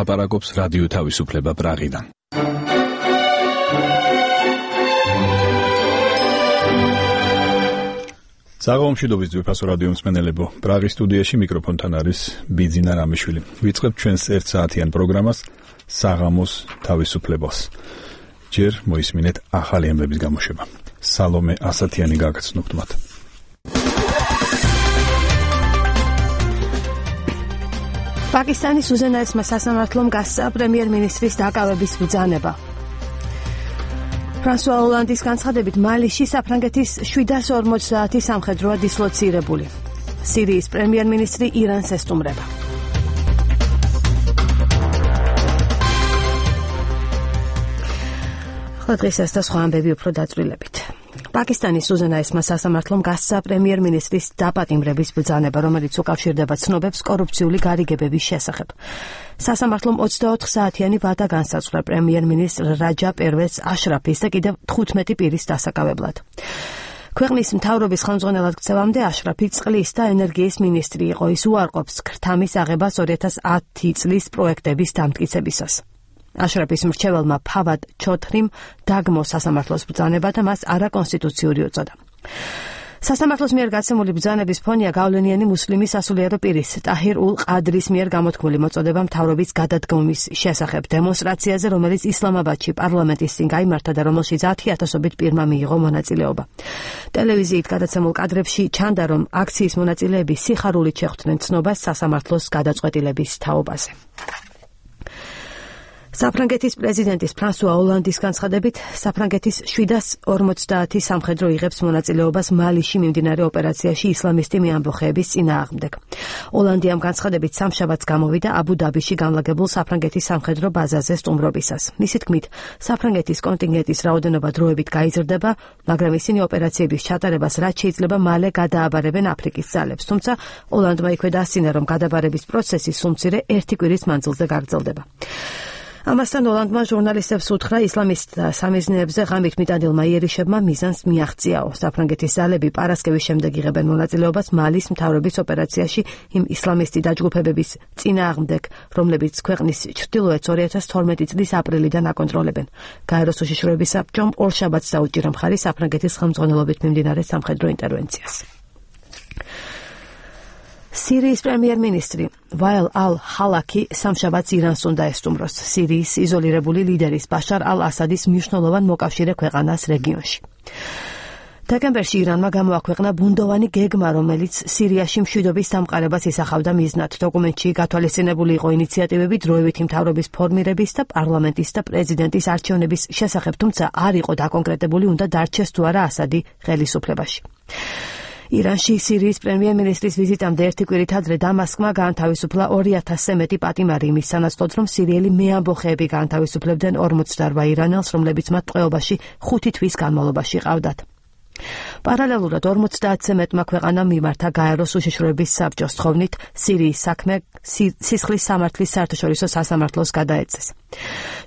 ლაპარაკობს რადიო თავისუფლება პრაღიდან. საღამომშვიდობის ძვირფასო რადიო მსმენელებო, პრაღის სტუდიაში მიკროფონთან არის ბიძინა რამიშვილი. ვიწყებთ ჩვენს 1 საათიან პროგრამას საღამოს თავისუფლებას. ჯერ მოისმინეთ ახალი ამბების გამოშვება. სალომე ასათიანი გაგაცნობთ მათ. პაკისტანის უზენაესმა სასამართლომ გასცა პრემიერ-მინისტრის დაკავების ბრძანება. ფრანსუა ოლანდის განცხადებით მალიში საფრანგეთის 750 სამხედროა დისლოცირებული. სირიის პრემიერ-მინისტრი ირანს ესტუმრება. ახლა დღეს ეს და სხვა ამბები უფრო დაწვრილებით. პაკისტანის უზენაესმა სასამართლომ გასცა პრემიერ-მინისტრის დაპატიმრების ბრძანება, რომელიც უკავშირდება ცნობებს კორუფციული გარიგებების შესახებ. სასამართლომ 24 საათიანი ვადა განსაზღვრა პრემიერ-მინისტრ რაჯა პერვეზ აშრაფის და კიდევ 15 პირის დასაკავებლად. ქვეყნის მთავრობის ხელმძღვანელად ქცევამდე აშრაფი წყლის და ენერგიის მინისტრი იყო. ის უარყოფს ქრთამის აღებას 2010 წლის პროექტების დამტკიცებისას. აშრაფის მრჩეველმა ფავად ჩოთრიმ დაგმო სასამართლოს ბრძანება და მას არაკონსტიტუციური უწოდა. სასამართლოს მიერ გაცემული ბრძანების ფონია გავლენიანი მუსლიმი სასულიერო პირის ტაჰირ ულ ყადრის მიერ გამოთქმული მოწოდება მთავრობის გადადგომის შესახებ დემონსტრაციაზე, რომელიც ისლამაბადში პარლამენტის წინ გაიმართა და რომელშიც 10,000-ობით პირმა მიიღო მონაწილეობა. ტელევიზიით გადაცემულ კადრებში ჩანდა, რომ აქციის მონაწილეები სიხარულით შეხვდნენ ცნობას სასამართლოს გადაწყვეტილების თაობაზე. საფრანგეთის პრეზიდენტის ფრანსუა ოლანდის განცხადებით, საფრანგეთის 750 სამხედრო იღებს მონაწილეობას მალიში მიმდინარე ოპერაციაში ისლამისტი მეამბოხეების წინააღმდეგ. ოლანდი ამ განცხადებით სამშაბათს გამოვიდა აბუ-დაბიში განლაგებულ საფრანგეთის სამხედრო ბაზაზე სტუმრობისას. მისი თქმით, საფრანგეთის კონტინგენტის რაოდენობა დროებით გაიზრდება, მაგრამ ისინი ოპერაციების ჩატარებას რაც შეიძლება მალე გადააბარებენ აფრიკის ძალებს. თუმცა ოლანდმა იქვე დასცინა, რომ გადაბარების პროცესი სულ მცირე 1 კვირის მანძილზე გაგრძელდება. ამასთან ოლანდმა ჟურნალისტებს უთხრა ისლამისტთა სამიზნეებზე ღამით მიტანილმა იერიშებმა მიზანს მიაღწიაო. საფრანგეთის ძალები პარასკევის შემდეგ იღებენ მონაწილეობას მალის მთავრობის ოპერაციაში იმ ისლამისტი დაჯგუფებების წინააღმდეგ, რომლებიც ქვეყნის ჩრდილოეთს 2012 წლის აპრილიდან აკონტროლებენ. გაეროს უშიშროების საბჭომ ორშაბათს დაუჭირა მხარი საფრანგეთის ხელმძღვანელობით მიმდინარე სამხედრო ინტერვენციას. სირიის პრემიერ-მინისტრი ვაილ ალ-ჰალაკი სამშაბათს ირანს უნდა ესტუმროს, სირიის იზოლირებული ლიდერის ბაშარ ალ-ასადის მნიშვნელოვან მოკავშირე ქვეყანას რეგიონში. დეკემბერში ირანმა გამოაქვეყნა ბუნდოვანი გეგმა, რომელიც სირიაში მშვიდობის დამყარებას ისახავდა მიზნად. დოკუმენტში გათვალისწინებული იყო ინიციატივები დროებითი მთავრობის ფორმირების და პარლამენტის და პრეზიდენტის არჩევნების შესახებ, თუმცა არ იყო დაკონკრეტებული უნდა დარჩეს თუ არა ასადი ხელისუფლებაში. ირანში სირიის პრემიერ-მინისტრის ვიზიტამდე 1 კვირით ადრე დამასკმა გაანთავისუფლა 2,000-ზე მეტი პატიმარი იმის სანაცვლოდ, რომ სირიელი მეამბოხეები გაანთავისუფლებდნენ 48 ირანელს, რომლებიც მათ ტყვეობაში 5 თვის განმავლობაში ყავდათ. პარალელურად 50-ზე მეტმა ქვეყანამ მიმართა გაეროს უშიშროების საბჭოს თხოვნით სირიის საქმე სისხლის სამართლის საერთაშორისო სასამართლოს გადაეცეს.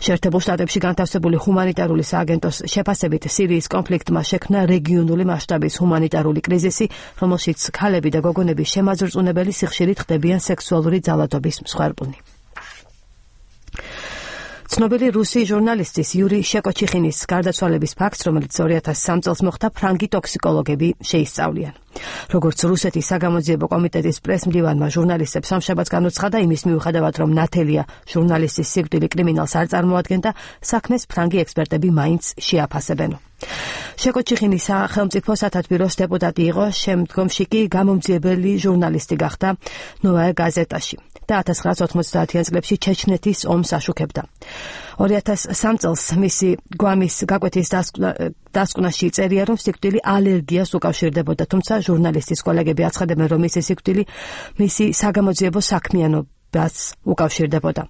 შეერთებულ შტატებში განთავსებული ჰუმანიტარული სააგენტოს შეფასებით სირიის კონფლიქტმა შექმნა რეგიონული მასშტაბის ჰუმანიტარული კრიზისი, რომელშიც ქალები და გოგონები შემაძრწუნებელი სიხშირით ხდებიან სექსუალური ძალადობის მსხვერპლნი. ცნობილი რუსი ჟურნალისტის იური შეკოჩიხინის გარდაცვალების ფაქტს, რომელიც 2003 წელს მოხდა, ფრანგი ტოქსიკოლოგები შეისწავლიან. როგორც რუსეთის საგამოძიებო კომიტეტის პრესმდივანმა ჟურნალისტებს სამშაბათს განუცხადა, იმის მიუხედავად, რომ ნათელია ჟურნალისტის სიკვდილი კრიმინალს არ წარმოადგენდა, საქმეს ფრანგი ექსპერტები მაინც შეაფასებენ. შეკოჩიხინი სახელმწიფო სათათბიროს დეპუტატი იყო, შემდგომში კი გამომძიებელი ჟურნალისტი გახდა ნოვაია გაზეტაში და 1990-იან წლებში ჩეჩნეთის ომს აშუქებდა. 2003 წელს მისი გვამის გაკვეთის დასკვნაში წერია, რომ სიკვდილი ალერგიას უკავშირდებოდა, თუმცა ჟურნალისტის კოლეგები აცხადებენ, რომ მისი სიკვდილი მისი საგამოძიებო საქმიანობას უკავშირდებოდა.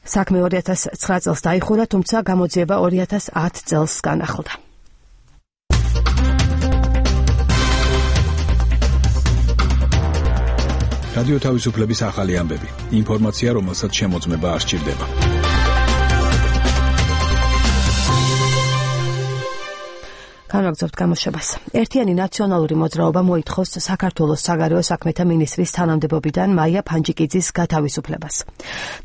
საქმე 2009 წელს დაიხურა, თუმცა გამოძიება 2010 წელს განახლდა. რადიო თავისუფლების ახალი ამბები. ინფორმაცია, რომელსაც შემოწმება არ სჭირდება. განვაგრძობთ გამოშვებას. ერთიანი ნაციონალური მოძრაობა მოითხოვს საქართველოს საგარეო საქმეთა მინისტრის თანამდებობიდან მაია ფანჯიკიძის გათავისუფლებას.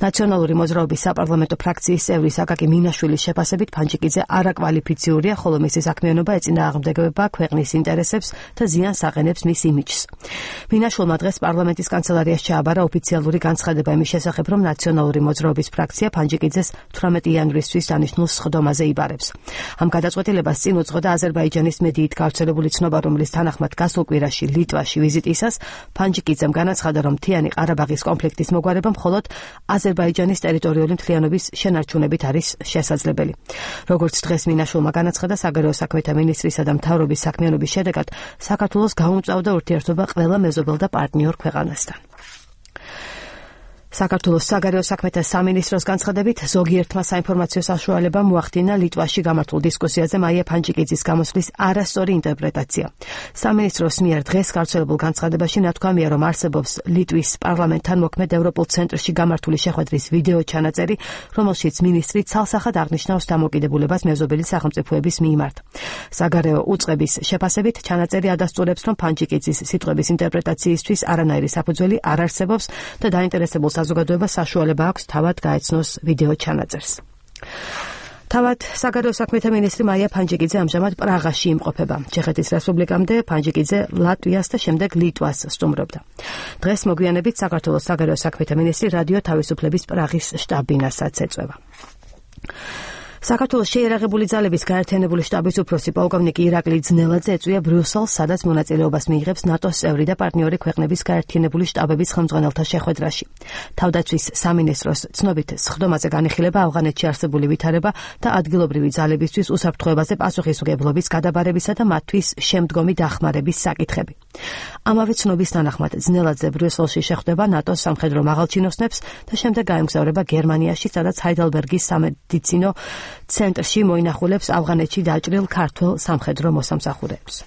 ნაციონალური მოძრაობის საპარლამენტო ფრაქციის წევრი საკაკი მინაშვილის შეფასებით ფანჯიკიძე არაკვალიფიციურია, ხოლო მისი საქმიანობა ეწინააღმდეგება ქვეყნის ინტერესებს და ზიანს აყენებს მის იმიჯს. მინაშვილმა დღეს პარლამენტის კანცელარიაში ჩააბარა ოფიციალური განცხადება იმის შესახებ, რომ ნაციონალური მოძრაობის ფრაქცია ფანჯიკიძეს 18 იანვრისთვის დანიშნულ სხდომაზე იბარებს. ამ გადაწყვეტილებას წინ უძღოდა აზერბაიჯანის მედიით გავრცელებული ცნობა, რომლის თანახმად გასულ კვირაში ლიტვაში ვიზიტისას ფანჯიკიძემ განაცხადა, რომ მთიანი ყარაბაღის კონფლიქტის მოგვარება მხოლოდ აზერბაიჯანის ტერიტორიული მთლიანობის შენარჩუნებით არის შესაძლებელი. როგორც დღეს მინაშვილმა განაცხადა, საგარეო საქმეთა მინისტრისა და მთავრობის საქმიანობის შედეგად საქართველოს გაუმწვავდა ურთიერთობა ყველა მეზობელ და პარტნიორ ქვეყანასთან. საქართველოს საგარეო საქმეთა სამინისტროს განცხადებით, ზოგიერთმა საინფორმაციო საშუალებამ მოახდინა ლიტვაში გამართულ დისკუსიაზე მაია ფანჯიკიძის გამოსვლის არასწორი ინტერპრეტაცია. სამინისტროს მიერ დღეს გავრცელებულ განცხადებაში ნათქვამია, რომ არსებობს ლიტვის პარლამენტთან მოქმედ ევროპულ ცენტრში გამართული შეხვედრის ვიდეო ჩანაწერი, რომელშიც მინისტრი ცალსახად აღნიშნავს დამოკიდებულებას მეზობელი სახელმწიფოების მიმართ. საგარეო უწყების შეფასებით, ჩანაწერი ადასტურებს, რომ ფანჯიკიძის სიტყვების ინტერპრეტაციისთვის არანაირი საფუძველი არ არსებობს და დაინტერესებულ საზოგადოებას საშუალება აქვს თავად გაეცნოს ვიდეო ჩანაწერს. თავად საგარეო საქმეთა მინისტრი მაია ფანჯიკიძე ამჟამად პრაღაში იმყოფება. ჩეხეთის რესპუბლიკამდე ფანჯიკიძე ლატვიას და შემდეგ ლიტვას სტუმრობდა. დღეს მოგვიანებით საქართველოს საგარეო საქმეთა მინისტრი რადიო თავისუფლების პრაღის შტაბ-ბინასაც ეწვევა. საქართველოს შეიარაღებული ძალების გაერთიანებული შტაბის უფროსი პოლკოვნიკი ირაკლი ძნელაძე ეწვია ბრიუსელს, სადაც მონაწილეობას მიიღებს ნატოს წევრი და პარტნიორი ქვეყნების გაერთიანებული შტაბების ხელმძღვანელთა შეხვედრაში. თავდაცვის სამინისტროს ცნობით, სხდომაზე განიხილება ავღანეთში არსებული ვითარება და ადგილობრივი ძალებისთვის უსაფრთხოებაზე პასუხისმგებლობის გადაბარებისა და მათთვის შემდგომი დახმარების საკითხები. ამავე ცნობის თანახმად ძნელაძე ბრიუსელში შეხვდება ნატოს სამხედრო მაღალჩინოსნებს და შემდეგ გაემგზავრება გერმანიაში, სადაც ჰაიდელბერგის სამედიცინო ცენტრში მოინახულებს ავღანეთში დაჭრილ ქართველ სამხედრო მოსამსახურეებს.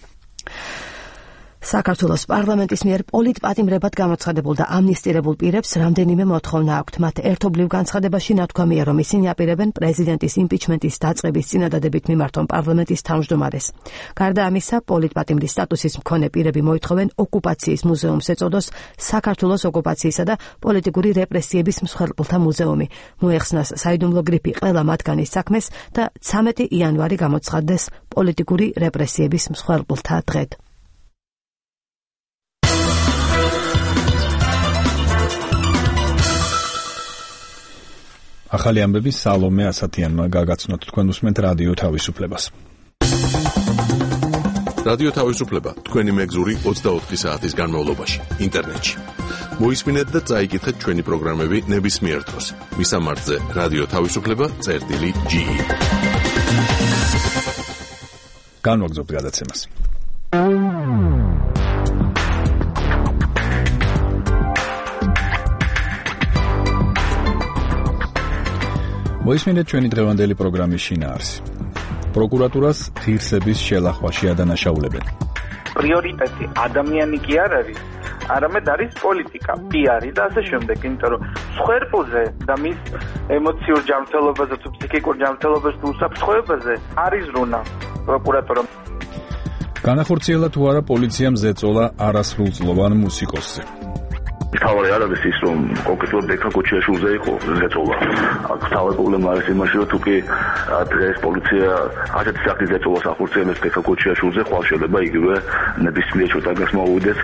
საქართველოს პარლამენტის მიერ პოლიტპატიმრებად გამოცხადებულ და ამნისტირებულ პირებს რამდენიმე მოთხოვნა აქვთ. მათ ერთობლივ განცხადებაში ნათქვამია, რომ ისინი აპირებენ პრეზიდენტის იმპიჩმენტის დაწყების წინადადებით მიმართონ პარლამენტის თავმჯდომარეს. გარდა ამისა, პოლიტპატიმრის სტატუსის მქონე პირები მოითხოვენ ოკუპაციის მუზეუმს ეწოდოს საქართველოს ოკუპაციისა და პოლიტიკური რეპრესიების მსხვერპლთა მუზეუმი. მოეხსნას საიდუმლო გრიფი ყველა მათგანის საქმეს და 13 იანვარი გამოცხადდეს პოლიტიკური რეპრესიების მსხვერპლთა დღედ. ახალი ამბები სალომე ასათიანმა გაგაცნოთ. თქვენ უსმენთ რადიო თავისუფლებას. რადიო თავისუფლება თქვენი მეგზური 24 საათის განმავლობაში ინტერნეტში. მოისმინეთ და წაიკითხეთ ჩვენი პროგრამები ნებისმიერ დროს. მისამართზე რადიო თავისუფლება.ge. განვაგრძობთ გადაცემას. მოისმინეთ ჩვენი დღევანდელი პროგრამის შინაარსი. პროკურატურას ღირსების შელახვაში ადანაშაულებენ. პრიორიტეტი ადამიანი კი არ არის, არამედ არის პოლიტიკა, პიარი და ასე შემდეგ, იმიტომ რომ მსხვერპლზე და მის ემოციურ ჯანმრთელობაზე თუ ფსიქიკურ ჯანმრთელობაზე თუ უსაფრთხოებაზე არის რუნა პროკურატურამ. განახორციელა თუ არა პოლიციამ ზეწოლა არასრულწლოვან მუსიკოსზე. თავი არ არის ის, რომ კონკრეტულად ბექა კოჩიაშვილზე იყო ზეწოლა. აქ თავი პრობლემა არის იმაში, რომ თუკი დღეს პოლიცია ასეთი სახის ზეწოლას ახორციელებს ბექა კოჩიაშვილზე, ხვალ შეიძლება იგივე ნებისმიერ შეტაკას მოვიდეს.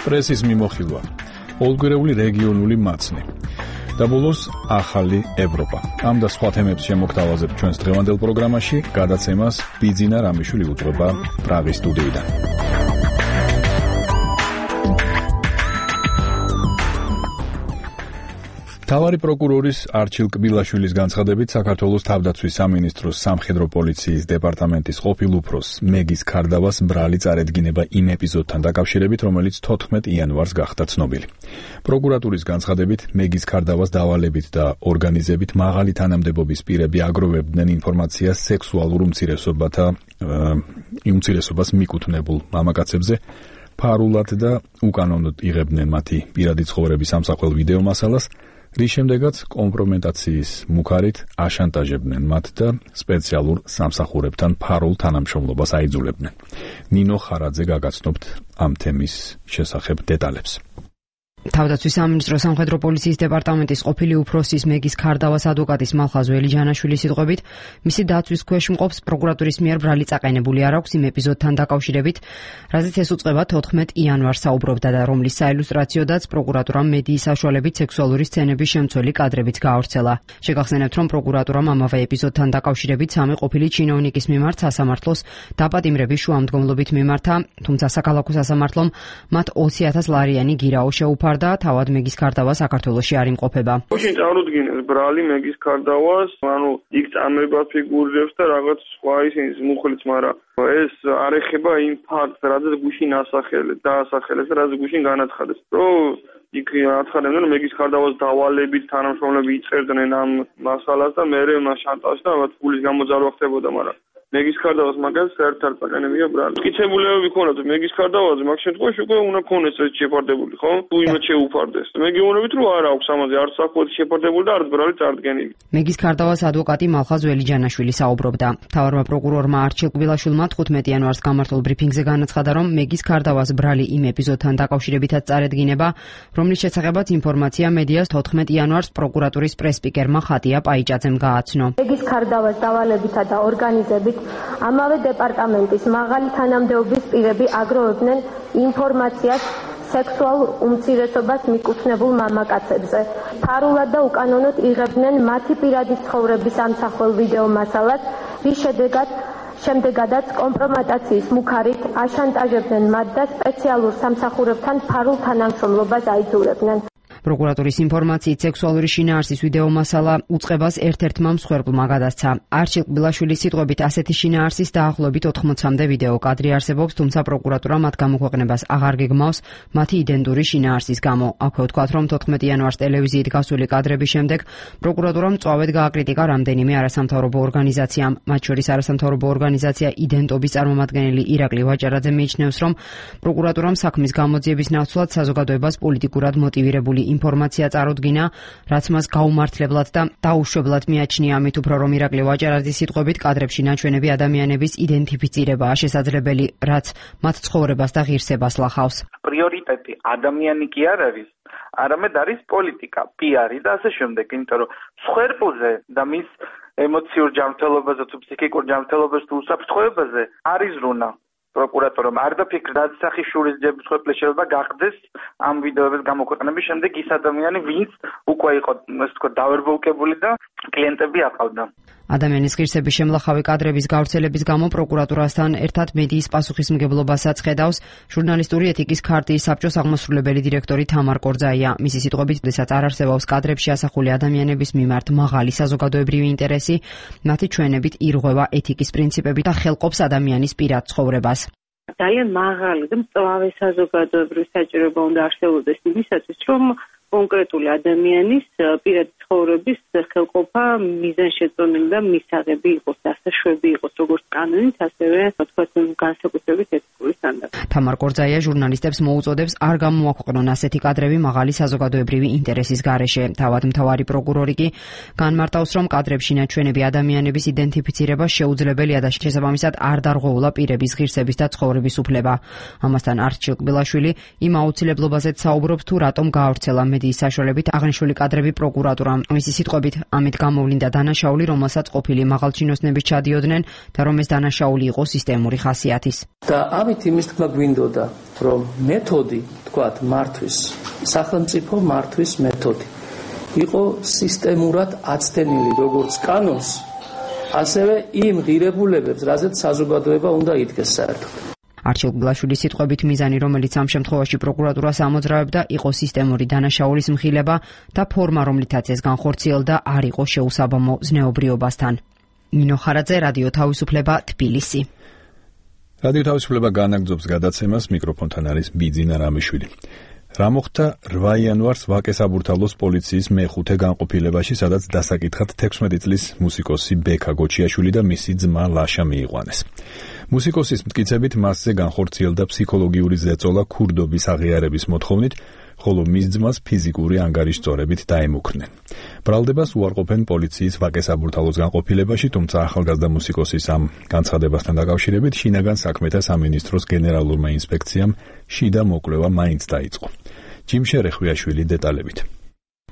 პრესის მიმოხილვა, ოლგვერეული რეგიონული მაცნე და ბოლოს ახალი ევროპა. ამ და სხვა თემებს შემოგთავაზებთ ჩვენს დღევანდელ პროგრამაში. გადაცემას ბიძინა რამიშვილი უძღვება პრაღის სტუდიიდან. მთავარი პროკურორის არჩილ კბილაშვილის განცხადებით, საქართველოს თავდაცვის სამინისტროს სამხედრო პოლიციის დეპარტამენტის ყოფილ უფროს მეგის ქარდავას მბრალი წარედგინება იმ ეპიზოდთან დაკავშირებით, რომელიც 14 იანვარს გახდა ცნობილი. პროკურატურის განცხადებით, მეგის ქარდავას დავალებით და ორგანიზებით მაღალი თანამდებობის პირები აგროვებდნენ ინფორმაციას სექსუალურ უმცირესობას მიკუთვნებულ მამაკაცებზე, ფარულად და უკანონოდ იღებდნენ მათი პირადი ცხოვრების ამსახველ ვიდეო მასალას, რის შემდეგაც კომპრომეტაციის მუქარით აშანტაჟებდნენ მათ და სპეციალურ სამსახურებთან ფარულ თანამშრომლობას აიძულებდნენ. ნინო ხარაძე გაგაცნობთ ამ თემის შესახებ დეტალებს. თავდაცვის სამინისტრო სამხედრო პოლიციის დეპარტამენტის ყოფილი უფროსის მეგის ქარდავას ადვოკატის მალხაზ ველიჯანაშვილის სიტყვებით, მისი დაცვის ქვეშ მყოფს პროკურატურის მიერ ბრალი წაყენებული არ აქვს იმ ეპიზოდთან დაკავშირებით, რაზეც ეს უწყება 14 იანვარს საუბრობდა და რომლის საილუსტრაციოდაც პროკურატურამ მედიის საშუალებით სექსუალური სცენების შემცველი კადრებიც გაავრცელა. შეგახსენებთ, რომ პროკურატურამ ამავე ეპიზოდთან დაკავშირებით სამი ყოფილი ჩინოვნიკის მიმართ სასამართლოს დაპატიმრების შუამდგომლობით მიმართა, თუმცა საქალაქო სასამართლომ მათ 20,000 ლარიანი გირაო შეუფარდა და თავად მეგის ქარდავა საქართველოში არ იმყოფება. გუშინ წარუდგინეს ბრალი მეგის ქარდავას, იქ წამება ფიგურებს და რაღაც სხვა ისინი მუხლიც, მაგრამ ეს არ ეხება იმ ფაქტს, რადგან გუშინ დაასახელეს და რადგან გუშინ განაცხადეს. რომ იქ აცხადებდნენ, რომ მეგის ქარდავას დავალებით თანამშრომლები იწერდნენ ამ მასალას და მერე მას შანტაჟდა, მათ ფულის გამოძალვა ხდებოდა, მაგრამ მეგის ქარდავას მაგას საერთოდ წაყენებია ბრალი. მტკიცებულებები ქონათ მეგის ქარდავაზე, მაგ შემთხვევაში უკვე უნდა ქონდეს ეს შეფარდებული, ხო? თუ იმათ შეუფარდეს. მე გეუბნებით, რომ არ აქვს ამაზე არც საფუძველი შეფარდებული და არც ბრალი წარდგენილი. მეგის ქარდავას ადვოკატი მალხაზ ველიჯანაშვილი საუბრობდა. მთავარმა პროკურორმა არჩილ კბილაშვილმა 15 იანვარს გამართულ ბრიფინგზე განაცხადა, რომ მეგის ქარდავას ბრალი იმ ეპიზოდთან დაკავშირებითაც წარედგინება, რომლის შესახებაც ინფორმაცია მედიას 14 იანვარს პროკურატურის პრესპიკერმა ხატია პაიჭაძემ გააცნო. მეგის ქარდავას დავალებითა და ორგანიზებით ამავე დეპარტამენტის მაღალი თანამდებობის პირები აგროვებდნენ ინფორმაციას სექსუალურ უმცირესობას მიკუთვნებულ მამაკაცებზე. ფარულად და უკანონოდ იღებდნენ მათი პირადი ცხოვრების ამსახველ ვიდეო მასალას, რის შემდეგადაც კომპრომატაციის მუქარით აშანტაჟებდნენ მათ და სპეციალურ სამსახურებთან ფარულ თანამშრომლობას აიძულებდნენ. პროკურატურის ინფორმაციით სექსუალური შინაარსის ვიდეო მასალა უწყებას ერთ-ერთმა მსხვერპლმა გადასცა. არჩილ კბილაშვილის სიტყვებით ასეთი შინაარსის დაახლოებით 80-მდე ვიდეო კადრი არსებობს, თუმცა პროკურატურა მათ გამოქვეყნებას აღარ გეგმავს მათი იდენტური შინაარსის გამო. აქვე ვთქვათ, რომ 14 იანვარს ტელევიზიით გასული კადრების შემდეგ პროკურატურამ მწვავედ გააკრიტიკა რამდენიმე არასამთავრობო ორგანიზაციამ. მათ შორის არასამთავრობო ორგანიზაცია იდენტობის წარმომადგენელი ირაკლი ვაჭარაძე მიიჩნევს, რომ პროკურატურამ საქმის გამოძიების ნაცვლად საზოგადოებას პოლიტიკურად მოტივირებული ინფორმაცია წარუდგინა, რაც მას გაუმართლებლად და დაუშვებლად მიაჩნია, ამით უფრო რომ ირაკლი ვაჭარაძის სიტყვებით კადრებში ნაჩვენები ადამიანების იდენტიფიცირებაა შესაძლებელი, რაც მათ ცხოვრებას და ღირსებას ლახავს. პრიორიტეტი ადამიანი კი არ არის, არამედ არის პოლიტიკა, პიარი და ასე შემდეგ, იმიტომ რომ მსხვერპლზე და მის ემოციურ ჯანმრთელობაზე თუ ფსიქიკურ ჯანმრთელობაზე თუ უსაფრთხოებაზე არის რუნა. პროკურატურამ არ დაფიქრდა სახიშურის ჯების მსხვერპლი შეიძლება გახდეს ამ ვიდეოების გამოქვეყნების შემდეგ ის ადამიანი, ვინც უკვე იყო, ასე ვთქვათ, დავერბოლკებული და კლიენტები აყავდა. ადამიანის ღირსების შემლახავი კადრების გავრცელების გამო პროკურატურასთან ერთად მედიის პასუხისმგებლობასაც ხედავს ჟურნალისტური ეთიკის ქარტიის საბჭოს აღმასრულებელი დირექტორი თამარ კორძაია. მისი სიტყვებით, როდესაც არ არსებობს კადრებში ასახული ადამიანების მიმართ მაღალი საზოგადოებრივი ინტერესი, მათი ჩვენებით ირღვევა ეთიკის პრინციპები და ხელყოფს ადამიანის პირად ცხოვრებას. ძალიან მაღალი და მწვავე საზოგადოებრივი საჭიროება უნდა არსებობდეს იმისათვის, რომ კონკრეტული ადამიანის პირადი ცხოვრების ხელყოფა მიზანშეწონილი და მისაღები იყოს, დასაშვები იყოს როგორც კანონით, ასევე თქვათ განსაკუთრებით ეთიკური სტანდარტით. თამარ კორძაია ჟურნალისტებს მოუწოდებს არ გამოაქვეყნონ ასეთი კადრები მაღალი საზოგადოებრივი ინტერესის გარეშე. თავად მთავარი პროკურორი კი განმარტავს, რომ კადრებში ნაჩვენები ადამიანების იდენტიფიცირება შეუძლებელია და შესაბამისად არ დარღვეულა პირების ღირსების და ცხოვრების უფლება. ამასთან არჩილ კბილაშვილი იმ აუცილებლობაზეც საუბრობს, თუ რატომ გაავრცელა მედიის საშუალებით აღნიშნული კადრები პროკურატურამ. მისი სიტყვებით, ამით გამოვლინდა დანაშაული, რომელსაც ყოფილი მაღალჩინოსნები ჩადიოდნენ და რომ ეს დანაშაული იყო სისტემური ხასიათის. და ამით იმის თქმა გვინდოდა, რომ მეთოდი, თქვათ, მართვის, სახელმწიფო მართვის მეთოდი იყო სისტემურად აცდენილი როგორც კანონს, ასევე იმ ღირებულებებს, რაზეც საზოგადოება უნდა იდგეს საერთოდ. არჩილ კბილაშვილის სიტყვებით მიზანი, რომელიც ამ შემთხვევაში პროკურატურას ამოძრავებდა, იყო სისტემური დანაშაულის მხილება და ფორმა, რომლითაც ეს განხორციელდა, არ იყო შეუსაბამო ზნეობრიობასთან. ნინო ხარაძე, რადიო თავისუფლება, თბილისი. რადიო თავისუფლება განაგრძობს გადაცემას, მიკროფონთან არის ბიძინა რამიშვილი. რა მოხდა 8 იანვარს ვაკე-საბურთალოს პოლიციის მე-5 განყოფილებაში, სადაც დასაკითხად 16 წლის მუსიკოსი ბექა გოჩიაშვილი და მისი ძმა ლაშა მიიყვანეს. მუსიკოსის მტკიცებით მასზე განხორციელდა ფსიქოლოგიური ზეწოლა ქურდობის აღიარების მოთხოვნით, ხოლო მის ძმას ფიზიკური ანგარიშწორებით დაემუქრნენ. ბრალდებას უარყოფენ პოლიციის ვაკე საბურთალოს განყოფილებაში, თუმცა ახალგაზრდა მუსიკოსის ამ განცხადებასთან დაკავშირებით შინაგან საქმეთა სამინისტროს გენერალურმა ინსპექციამ შიდა მოკვლევა მაინც დაიწყო. ჯიმ შერეხვიაშვილი დეტალებით.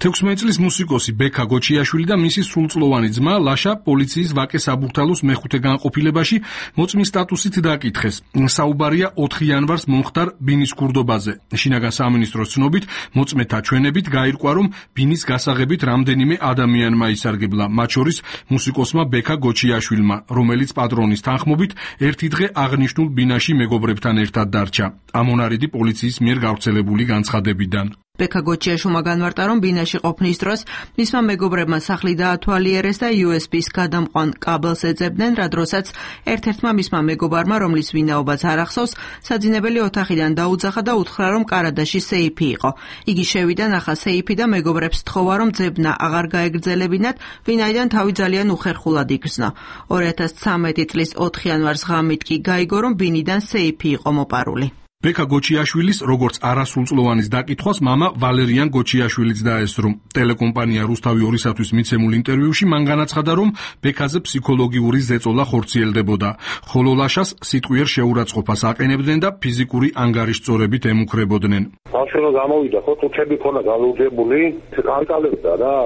16 წლის მუსიკოსი ბექა გოჩიაშვილი და მისი სრულწლოვანი ძმა ლაშა პოლიციის ვაკე საბურთალოს მეხუთე განყოფილებაში მოწმის სტატუსით დაკითხეს. საუბარია 4 იანვარს მომხდარ ბინის ქურდობაზე. შინაგან სამინისტროს ცნობით, მოწმეთა ჩვენებით გაირკვა, რომ ბინის გასაღებით რამდენიმე ადამიანმა ისარგებლა, მათ შორის მუსიკოსმა ბექა გოჩიაშვილმა, რომელიც პატრონის თანხმობით ერთი დღე აღნიშნულ ბინაში მეგობრებთან ერთად დარჩა. ამონარიდი პოლიციის მიერ გავრცელებული განცხადებიდან. ბექა გოჩიაშვილმა განმარტა, რომ ბინაში ყოფნის დროს მისმა მეგობრებმა სახლი დაათვალიერეს და USB-ს გადამყვან კაბელს ეძებდნენ, რა დროსაც ერთ-ერთმა მისმა მეგობარმა, რომლის ვინაობაც არ ახსოვს, საძინებელი ოთახიდან დაუძახა და უთხრა, რომ კარადაში სეიფი იყო. იგი შევიდა, ნახა სეიფი და მეგობრებს თხოვა, რომ ძებნა აღარ გაეგრძელებინათ, ვინაიდან თავი ძალიან უხერხულად იგრძნო. 2013 წლის 4 იანვარს ღამით კი გაიგო, რომ ბინიდან სეიფი იყო მოპარული. ბექა გოჩიაშვილის, როგორც არასრულწლოვანის დაკითხვას მამა ვალერიან გოჩიაშვილიც დაესწრო. ტელეკომპანია რუსთავი 2-ისთვის მიცემულ ინტერვიუში მან განაცხადა, რომ ბექაზე ფსიქოლოგიური ზეწოლა ხორციელდებოდა, ხოლო ლაშას სიტყვიერ შეურაცხყოფას აყენებდნენ და ფიზიკური ანგარიშწორებით ემუქრებოდნენ. ბავშვი გამოვიდა, ხო, თუთები ქონა გალუძებული, კანკალებდა რა,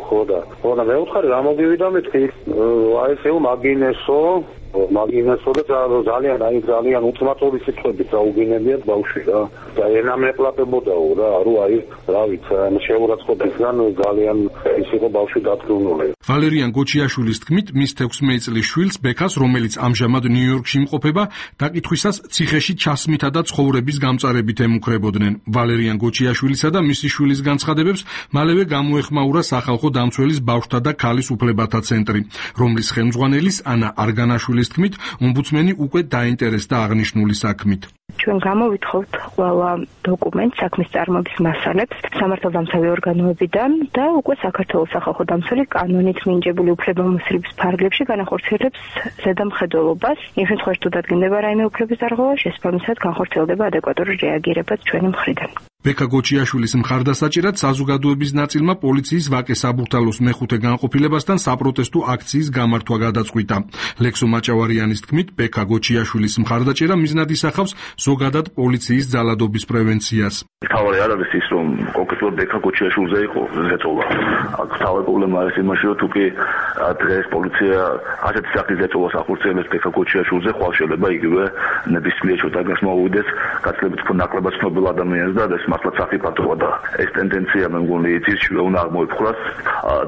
ხო და მე ვთხარი გამოვიდა მეთქი, აი ესე მაგინესო და ძალიან უთმართული სიტყვებით დაუგინებიათ ბავშვი რა და ენამეკლაპებოდაო რა აი რა ვიცი შეურაცხყოფისგან ძალიან ის იყო ბავშვი დათრუნული. ვალერიან გოჩიაშვილის თქმით, მის 16 წლის შვილს ბექას, რომელიც ამჟამად ნიუ-იორკში იმყოფება, დაკითხვისას ციხეში ჩასმითა და ცხოვრების გამწარებით ემუქრებოდნენ. ვალერიან გოჩიაშვილისა და მისი შვილის განცხადებებს მალევე გამოეხმაურა სახალხო დამცველის ბავშვთა და ქალის უფლებათა ცენტრი, რომლის ხელმძღვანელის ანა არგანაშვილის თქმით, ომბუდსმენი უკვე დაინტერესდა აღნიშნული საქმით. ჩვენ გამოვითხოვთ ყველა დოკუმენტს, საქმის წარმოების მასალებს სამართალდამცავი ორგანოებიდან და უკვე საქართველოს სახალხო დამცველი კანონით მინიჭებული უფლებამოსილების ფარგლებში განახორციელებს ზედამხედველობას. იმ შემთხვევაში თუ დადგინდება რაიმე უფლების დარღვევა, შესაბამისად განხორციელდება ადეკვატური რეაგირებაც ჩვენი მხრიდან. ბექა გოჩიაშვილის მხარდასაჭერად საზოგადოების ნაწილმა პოლიციის ვაკე საბურთალოს მეხუთე განყოფილებასთან საპროტესტო აქციის გამართვა გადაწყვიტა. ლექსო მაჭავარიანის თქმით, ბექა გოჩიაშვილის მხარდაჭერა მიზნად ისახავს ზოგადად პოლიციის ძალადობის პრევენციას. თავი არ არის ის, რომ კონკრეტულად ბექა გოჩიაშვილზე იყო ზეწოლა. აქ თავი პრობლემა არის იმაში, რომ თუ კი დღეს პოლიცია ასეთი სახის ზეწოლას ახორციელებს ბექა გოჩიაშვილზე, ხვალ შეიძლება იგივე ნებისმიერ შეტაკას მოვიდეს გაცილებით ნაკლებად ცნობილ ადამიანს და ეს მართლაც საფიქროა და ეს ტენდენცია მე მგონი იცის უნდა აღმოიფხვრას.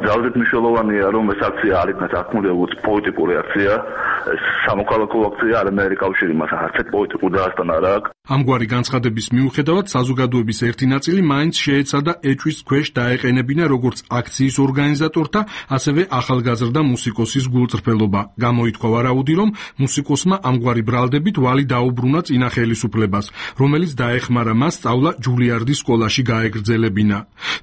ძალზედ მნიშვნელოვანია, რომ ეს აქცია არ იქნას აღქმული როგორც პოლიტიკური აქცია, სამოქალაქო აქცია არ ამერიკაში მას არც პოლიტიკურ დაასტანა რა. ამგვარი განცხადების მიუხედავად საზოგადოების ერთი ნაწილი მაინც შეეცადა ეჭვის ქვეშ დაეყენებინა როგორც აქციის ორგანიზატორთა, ასევე ახალგაზრდა მუსიკოსის გულწრფელობა. გამოითქვა ვარაუდი, რომ მუსიკოსმა ამგვარი ბრალდებით ვალი დაუბრუნა წინა ხელისუფლებას, რომელიც დაეხმარა მას სწავლა ჯულიარდის სკოლაში გაეგრძელებინა.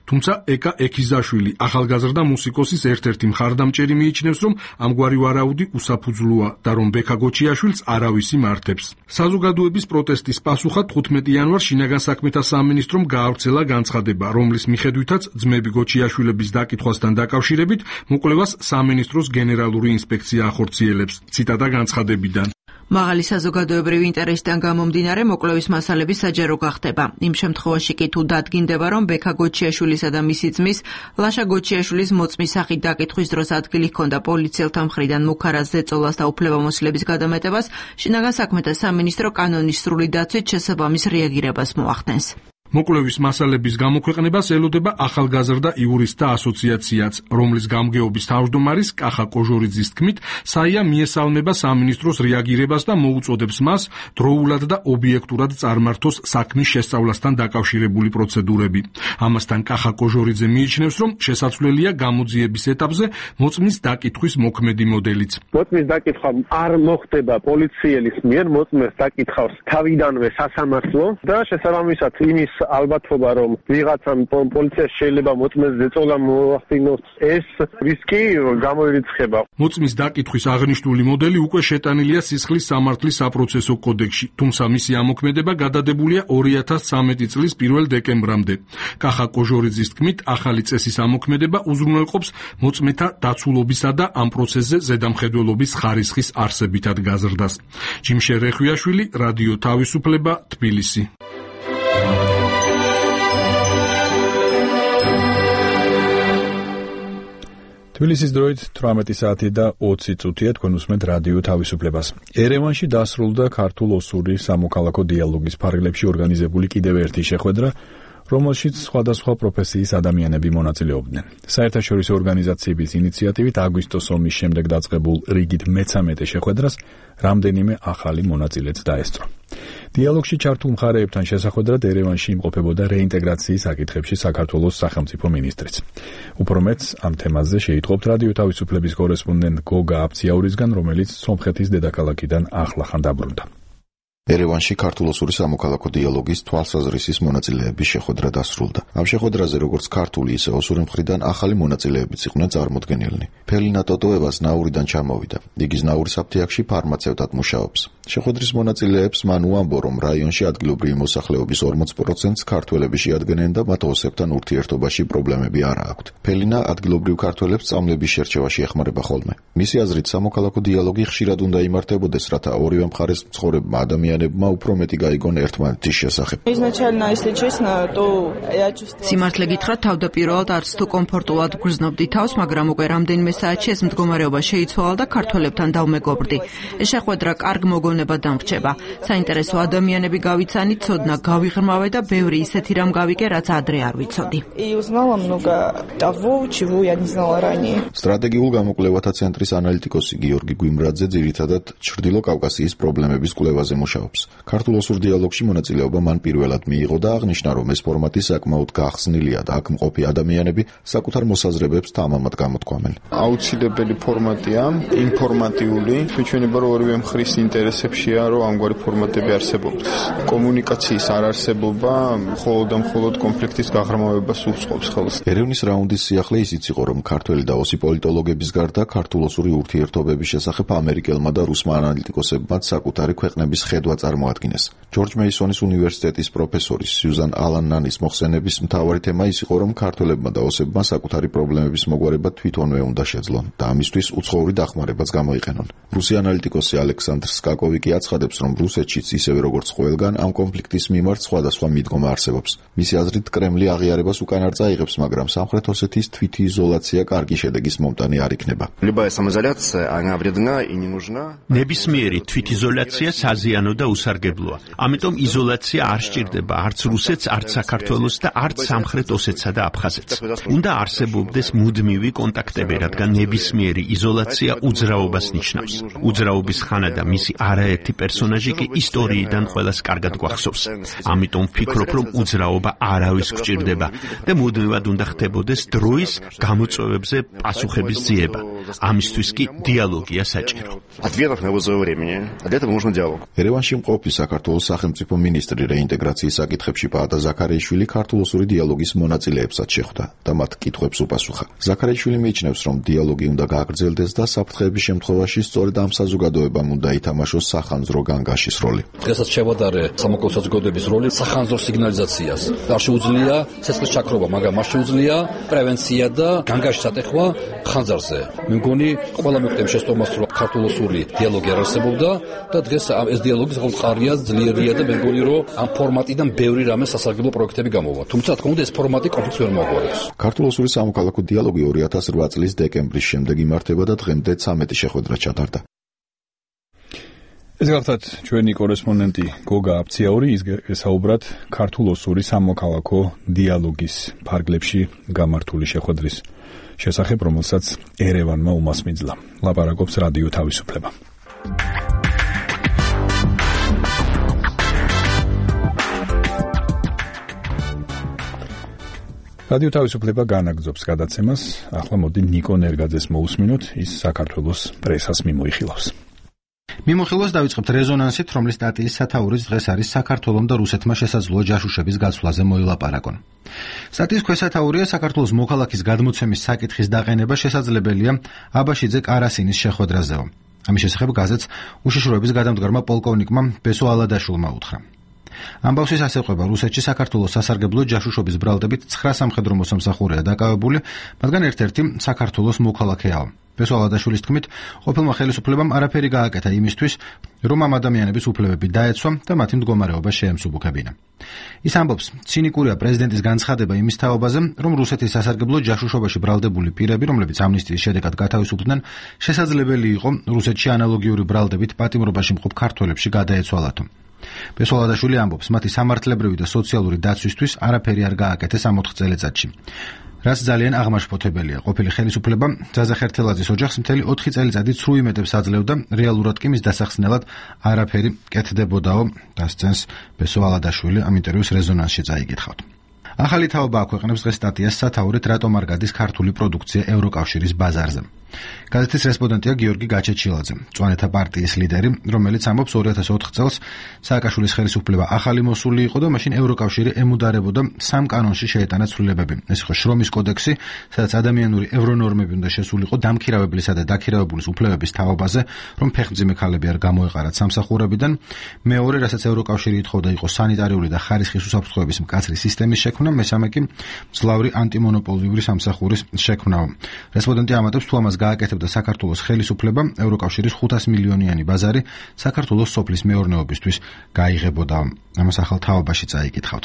თუმცა ეკა ექიზაშვილი, ახალგაზრდა მუსიკოსის ერთ-ერთი მხარდამჭერი მიიჩნევს, რომ ამგვარი ვარაუდი უსაფუძვლოა და რომ ბექა გოჩიაშვილს არავის იმართებს. საზოგადოების პროტესტის პასუხად 15 იანვარს შინაგან საქმეთა სამინისტრომ გაავრცელა განცხადება, რომლის მიხედვითაც ძმები გოჩიაშვილების დაკითხვასთან დაკავშირებით მოკვლევას სამინისტროს გენერალური ინსპექცია ახორციელებს. ციტატა განცხადებიდან. მაღალი საზოგადოებრივი ინტერესიდან გამომდინარე მოკვლევის მასალები საჯარო გახდება. იმ შემთხვევაში კი თუ დადგინდება, რომ ბექა გოჩიაშვილისა და მისი ძმის ლაშა გოჩიაშვილის მოწმის სახით დაკითხვის დროს ადგილი ჰქონდა პოლიციელთა მხრიდან მუქარას ზეწოლას და უფლებამოსილების გადამეტებას, შინაგან საქმეთა სამინისტრო კანონის სრული დაცვით შესაბამის რეაგირებას მოახდენს. მოკვლევის მასალების გამოქვეყნებას ელოდება ახალგაზრდა იურისტთა ასოციაციაც, რომლის გამგეობის თავმჯდომარის კახა კოჟორიძის თქმით, საია მიესალმება სამინისტროს რეაგირებას და მოუწოდებს მას დროულად და ობიექტურად წარმართოს საქმის შესწავლასთან დაკავშირებული პროცედურები. ამასთან კახა კოჟორიძე მიიჩნევს, რომ შესაძლებელია გამოძიების ეტაპზე მოწმის დაკითხვის მოქმედი მოდელიც. მოწმის დაკითხვა არ მოხდება პოლიციელის მიერ, მოწმეს დაკითხავს თავიდანვე სასამართლო და შესაბამისად იმის ალბათობა, რომ ვიღაცამ პოლიციას შეიძლება მოწმეს ზეწოლა მოახდინოს, ეს რისკი გამოირიცხება. მოწმის დაკითხვის აღნიშნული მოდელი უკვე შეტანილია სისხლის სამართლის საპროცესო კოდექსში, თუმცა მისი ამოქმედება გადადებულია 2013 წლის 1 დეკემბრამდე. კახა კოჟორიძის თქმით, ახალი წესის ამოქმედება უზრუნველყოფს მოწმეთა დაცულობისა და ამ პროცესზე ზედამხედველობის ხარისხის არსებითად გაზრდას. ჯიმშე რეხვიაშვილი, რადიო თავისუფლება, თბილისი. თბილისის დროით 18 საათი და 20 წუთია თქვენ უსმენთ რადიო თავისუფლებას. ერევანში დასრულდა ქართულ-ოსური სამოქალაქო დიალოგის ფარგლებში ორგანიზებული კიდევ ერთი შეხვედრა, რომელშიც სხვადასხვა პროფესიის ადამიანები მონაწილეობდნენ. საერთაშორისო ორგანიზაციების ინიციატივით აგვისტოს ომის შემდეგ დაწყებულ რიგით მე-13 შეხვედრას რამდენიმე ახალი მონაწილეც დაესწრო. დიალოგში ჩართულ მხარეებთან შესახვედრად ერევანში იმყოფებოდა რეინტეგრაციის საკითხებში საქართველოს სახელმწიფო მინისტრიც. უფრო მეტს ამ თემაზე შეიტყობთ რადიო თავისუფლების კორესპონდენტ გოგა აფციაურისგან, რომელიც სომხეთის დედაქალაქიდან ახლახან დაბრუნდა. ერევანში ქართულ-ოსური სამოქალაქო დიალოგის თვალსაზრისის მონაწილეების შეხვედრა დასრულდა. ამ შეხვედრაზე როგორც ქართული, ისე ოსური მხრიდან ახალი მონაწილეებიც იყვნენ წარმოდგენილნი. ფელინა ტოტოევას ნაურიდან ჩამოვიდა. იგი ზნაურის აფთიაქში ფარმაცევტად მუშაობს. შეხვედრის მონაწილეებს მან უამბო, რომ რაიონში ადგილობრივი მოსახლეობის 40%-ს ქართველები შეადგენენ და მათ ოსებთან ურთიერთობაში პრობლემები არ აქვთ. ფელინა ადგილობრივ ქართველებს სწავლების შერჩევაში ეხმარება ხოლმე. მისი აზრით, სამოქალაქო დიალოგი ხშირად უნდა იმართებოდეს, რათა ორივე მხარეს მცხოვრებმა ადამიანებმა უფრო მეტი გაიგონ ერთმანეთის შესახებ. სიმართლე გითხრათ, თავდაპირველად არც თუ კომფორტულად გრძნობდი თავს, მაგრამ უკვე რამდენიმე საათში ეს მდგომარეობა შეიცვალა და ქართველებთან დავმეგობრდი. ეს შეხვედრა კარგ მოგონებად დამრჩება. საინტერესო ადამიანები გავიცანით, ცოდნა გავიღრმავე და ბევრი ისეთი რამ გავიგე, რაც ადრე არ ვიცოდი. სტრატეგიულ გამოკვლევათა ცენტრის ანალიტიკოსი გიორგი გვიმრაძე ძირითადად ჩრდილო კავკასიის პრობლემების კვლევაზე მუშაობს. ქართულ-ოსურ დიალოგში მონაწილეობა მან პირველად მიიღო და აღნიშნა, რომ ეს ფორმატი საკმაოდ გახსნილია და აქ მყოფი ადამიანები საკუთარ მოსაზრებებს თამამად გამოთქვამენ. აუცილებელი ფორმატია, ინფორმატიული, მეჩვენება, რომ ორივე მხრის ინტერესებშია, რომ ამგვარი ფორმატები არსებობდეს. კომუნიკაციის არარსებობა მხოლოდ და მხოლოდ კონფლიქტის გაღრმავებას უწყობს ხელს. ერევნის რაუნდის სიახლე ისიც იყო, რომ ქართველი და ოსი პოლიტოლოგების გარდა ქართულ-ოსური ურთიერთობების შესახებ ამერიკელმა და რუსმა ანალიტიკოსებმა საკუთარი ქვეყნების ხედვა წარმოადგინეს. ჯორჯ მეისონის უნივერსიტეტის პროფესორის სიუზან ალან-ნანის მოხსენების მთავარი თემა ის იყო, რომ ქართველებმა და ოსებმა საკუთარი პრობლემების მოგვარება თვითონვე უნდა შეძლონ და ამისთვის უცხოური დახმარებაც გამოიყენონ. რუსი ანალიტიკოსი ალექსანდრ სკაკოვი კი აცხადებს, რომ რუსეთშიც ისევე როგორც ყველგან ამ კონფლიქტის მიმართ სხვადასხვა მიდგომა არსებობს. მისი აზრით, კრემლი აღიარებას უკან არ წაიღებს, მაგრამ სამხრეთ ოსეთის თვითიზოლაცია კარგი შედეგის მომტანი არ იქნება. ნებისმიერი თვითიზოლაცია საზიანო და უსარგებლოა. ამიტომ იზოლაცია არ სჭირდება არც რუსეთს, არც საქართველოს და არც სამხრეთ ოსეთსა და აფხაზეთს. უნდა არსებობდეს მუდმივი კონტაქტები, რადგან ნებისმიერი იზოლაცია უძრაობას ნიშნავს. უძრაობის ხანა და მისი არაერთი პერსონაჟი კი ისტორიიდან ყველას კარგად გვახსოვს. ამიტომ ვფიქრობ, რომ უძრაობა არავის გვჭირდება და მუდმივად უნდა ხდებოდეს დროის გამოწვევებზე პასუხების ძიება. ამისთვის კი დიალოგია საჭირო. ერევანში მყოფი საქართველოს სახელმწიფო მინისტრი რეინტეგრაციის საკითხებში პაატა ზაქარიაშვილი ქართულ-ოსური დიალოგის მონაწილეებსაც შეხვდა და მათ კითხვებს უპასუხა. ზაქარიაშვილი მიიჩნევს, რომ დიალოგი უნდა გააგრძელდეს და საფრთხეების შემთხვევაში სწორედ ამ საზოგადოებამ უნდა ითამაშოს სახანძრო განგაშის როლი. დღესაც შევადარე სამოქალაქო საზოგადოების როლი სახანძრო სიგნალიზაციას. არ შეუძლია ცეცხლის ჩაქრობა, მაგრამ მას შეუძლია პრევენცია და განგაშის ატეხვა ხანძარზე. მე მგონი ყველა მეკვლევი შეცდომას, რომ ქართულ-ოსური დიალოგი არ არსებობდა და დღეს ეს დიალოგი საკმაოდ მყარია, ძლიერია და მე მგონი, რომ ამ ფორმატიდან ბევრი რამე სასარგებლო პროექტები გამოვა. თუმცა თქმა უნდა ეს ფორმატი კონფლიქტს ვერ მოაგვარებს. ქართულ-ოსური სამოქალაქო დიალოგი 2008 წლის დეკემბრის შემდეგ იმართება და დღემდე 13 შეხვედრა ჩატარდა. ეს გახლავთ ჩვენი კორესპონდენტი გოგა აფციაური, ის ესაუბრათ ქართულ-ოსური სამოქალაქო დიალოგის ფარგლებში გამართული შეხვედრის შესახებ, რომელსაც ერევანმა უმასპინძლა. ლაპარაკობს რადიო თავისუფლება. რადიო თავისუფლება განაგრძობს გადაცემას. ახლა მოდი ნიკო ნერგაძეს მოусმინოთ, ის საქართველოს პრესას მიმოიხილავს. მიმოხილვას დავიწყებთ რეზონანსით, რომლის სტატიის სათაურიც დღეს არის საქართველომ და რუსეთმა შესაძლოა ჯაშუშების გაცვლაზე მოილაპარაკონ. სტატიის ქვესათაურია საქართველოს მოქალაქის გადმოცემის საკითხის დაყენება შესაძლებელია აბაშიძე კარასინის შეხვედრაზეო. ამის შესახებ გაზეთს უშიშროების გადამდგარმა პოლკოვნიკმა ბესო ალადაშვილმა უთხრა. ამბავშის ასეყვება რუსეთში საქართველოს სასარგებლო ჯაშუშობის ბრალდებით 9 სამხედრო მოსამსახურეა დაკავებული, მათგან ერთ-ერთი საქართველოს მოქალაქეაა. ბესო ალადაშვილის თქმით, ყოფილმა ხელისუფლებამ არაფერი გააკეთა იმისთვის, რომ ამ ადამიანების უფლებები დაეცვა და მათი მდგომარეობა შეემსუბუქებინა. ის ამბობს, ცინიკურია პრეზიდენტის განცხადება იმის თაობაზე, რომ რუსეთის სასარგებლო ჯაშუშობაში ბრალდებული პირები, რომლებიც ამნისტიის შედეგად გათავისუფლდნენ, შესაძლებელი იყო რუსეთში ანალოგიური ბრალდებით პატიმრობაში მყოფ ქართველებში გადაეცვალათო. ბესო ალადაშვილი ამბობს, მათი სამართლებრივი და სოციალური დაცვისთვის არაფერი არ გააკეთეს ამ 4 წელიწადში. რაც ძალიან აღმაშფოთებელია. ყოფილი ხელისუფლება ძაზა ხერთელაძის ოჯახს მთელი 4 წელიწადი ცრუ იმედებს აძლევდა, რეალურად კი მის დასახსნელად არაფერი კეთდებოდაო, დასცენს ბესო ალადაშვილი ამ ინტერვიუს რეზონანსში წაიკითხავთ. ახალი თაობა აქვეყნებს დღეს სტატიას სათაურით რატომ არ გადის ქართული პროდუქცია ევროკავშირის ბაზარზე. გაზეთის რესპონდენტია გიორგი გაჩეჩილაძე, მწვანეთა პარტიის ლიდერი, რომელიც ამბობს 2004 წელს სააკაშვილის ხელისუფლება ახალი მოსული იყო და მაშინ ევროკავშირი ემუდარებოდა 3 კანონში შეეტანა ცვლილებები. ეს იყო შრომის კოდექსი, სადაც ადამიანური ევრონორმები უნდა შესულიყო დამქირავებლისა და დაქირავებულის უფლებების თაობაზე, რომ ფეხმძიმე ქალები არ გამოეყარათ სამსახურებიდან. მეორე, რასაც ევროკავშირი ითხოვდა, იყო სანიტარიული და ხარისხის უსაფრთხოების მკაცრი სისტემის შექმნა, მესამე კი მძლავრი ანტიმონოპოლიური სამსახურის შექმნაო. რესპონდენტი ამატებს, თუ ამას გააკეთებდა საქართველოს ხელისუფლება, ევროკავშირის 500 მილიონიანი ბაზარი საქართველოს სოფლის მეურნეობისთვის გაიღებოდა. ამას ახალ თაობაში წაიკითხავთ.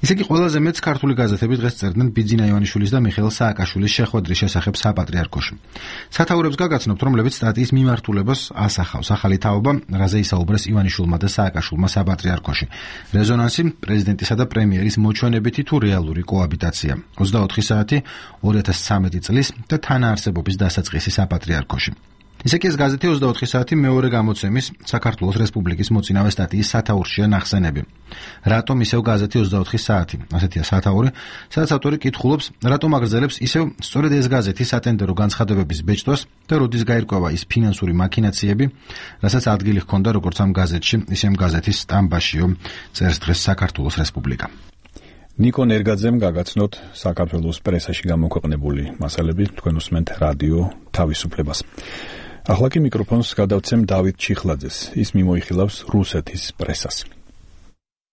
ისე კი ყველაზე მეტს ქართული გაზეთები დღეს წერდნენ ბიძინა ივანიშვილის და მიხეილ სააკაშვილის შეხვედრის შესახებ საპატრიარქოში. სათაურებს გაგაცნობთ, რომლებიც სტატიის მიმართულებას ასახავს. ახალი თაობა, რაზე ისაუბრეს ივანიშვილმა და სააკაშვილმა საპატრიარქოში. რეზონანსი, პრეზიდენტისა და პრემიერის მოჩვენებითი თუ რეალური კოაბიტაცია. 24 საათი 2013 წლის და თანაარსებობის დასაწყისი საპატრიარქოში. ისე კი ეს გაზეთი 24 საათი მეორე გამოცემის საქართველოს რესპუბლიკის მოწინავე სტატიის სათაურშია ნახსენები. რატომ ისევ გაზეთი 24 საათი? ასეთია სათაური, სადაც ავტორი კითხულობს, რატომ აგრძელებს ისევ სწორედ ეს გაზეთი სატენდერო განცხადებების ბეჭდვას და როდის გაირკვევა ის ფინანსური მაქინაციები, რასაც ადგილი ჰქონდა როგორც ამ გაზეთში, ისე ამ გაზეთის სტამბაშიო, წერს დღეს საქართველოს რესპუბლიკა. ნიკო ნერგაძემ გაგაცნოთ საქართველოს პრესაში გამოქვეყნებული მასალები, თქვენ უსმენთ რადიო თავისუფლებას. ახლა კი მიკროფონს გადავცემ დავით ჩიხლაძეს. ის მიმოიხილავს რუსეთის პრესას.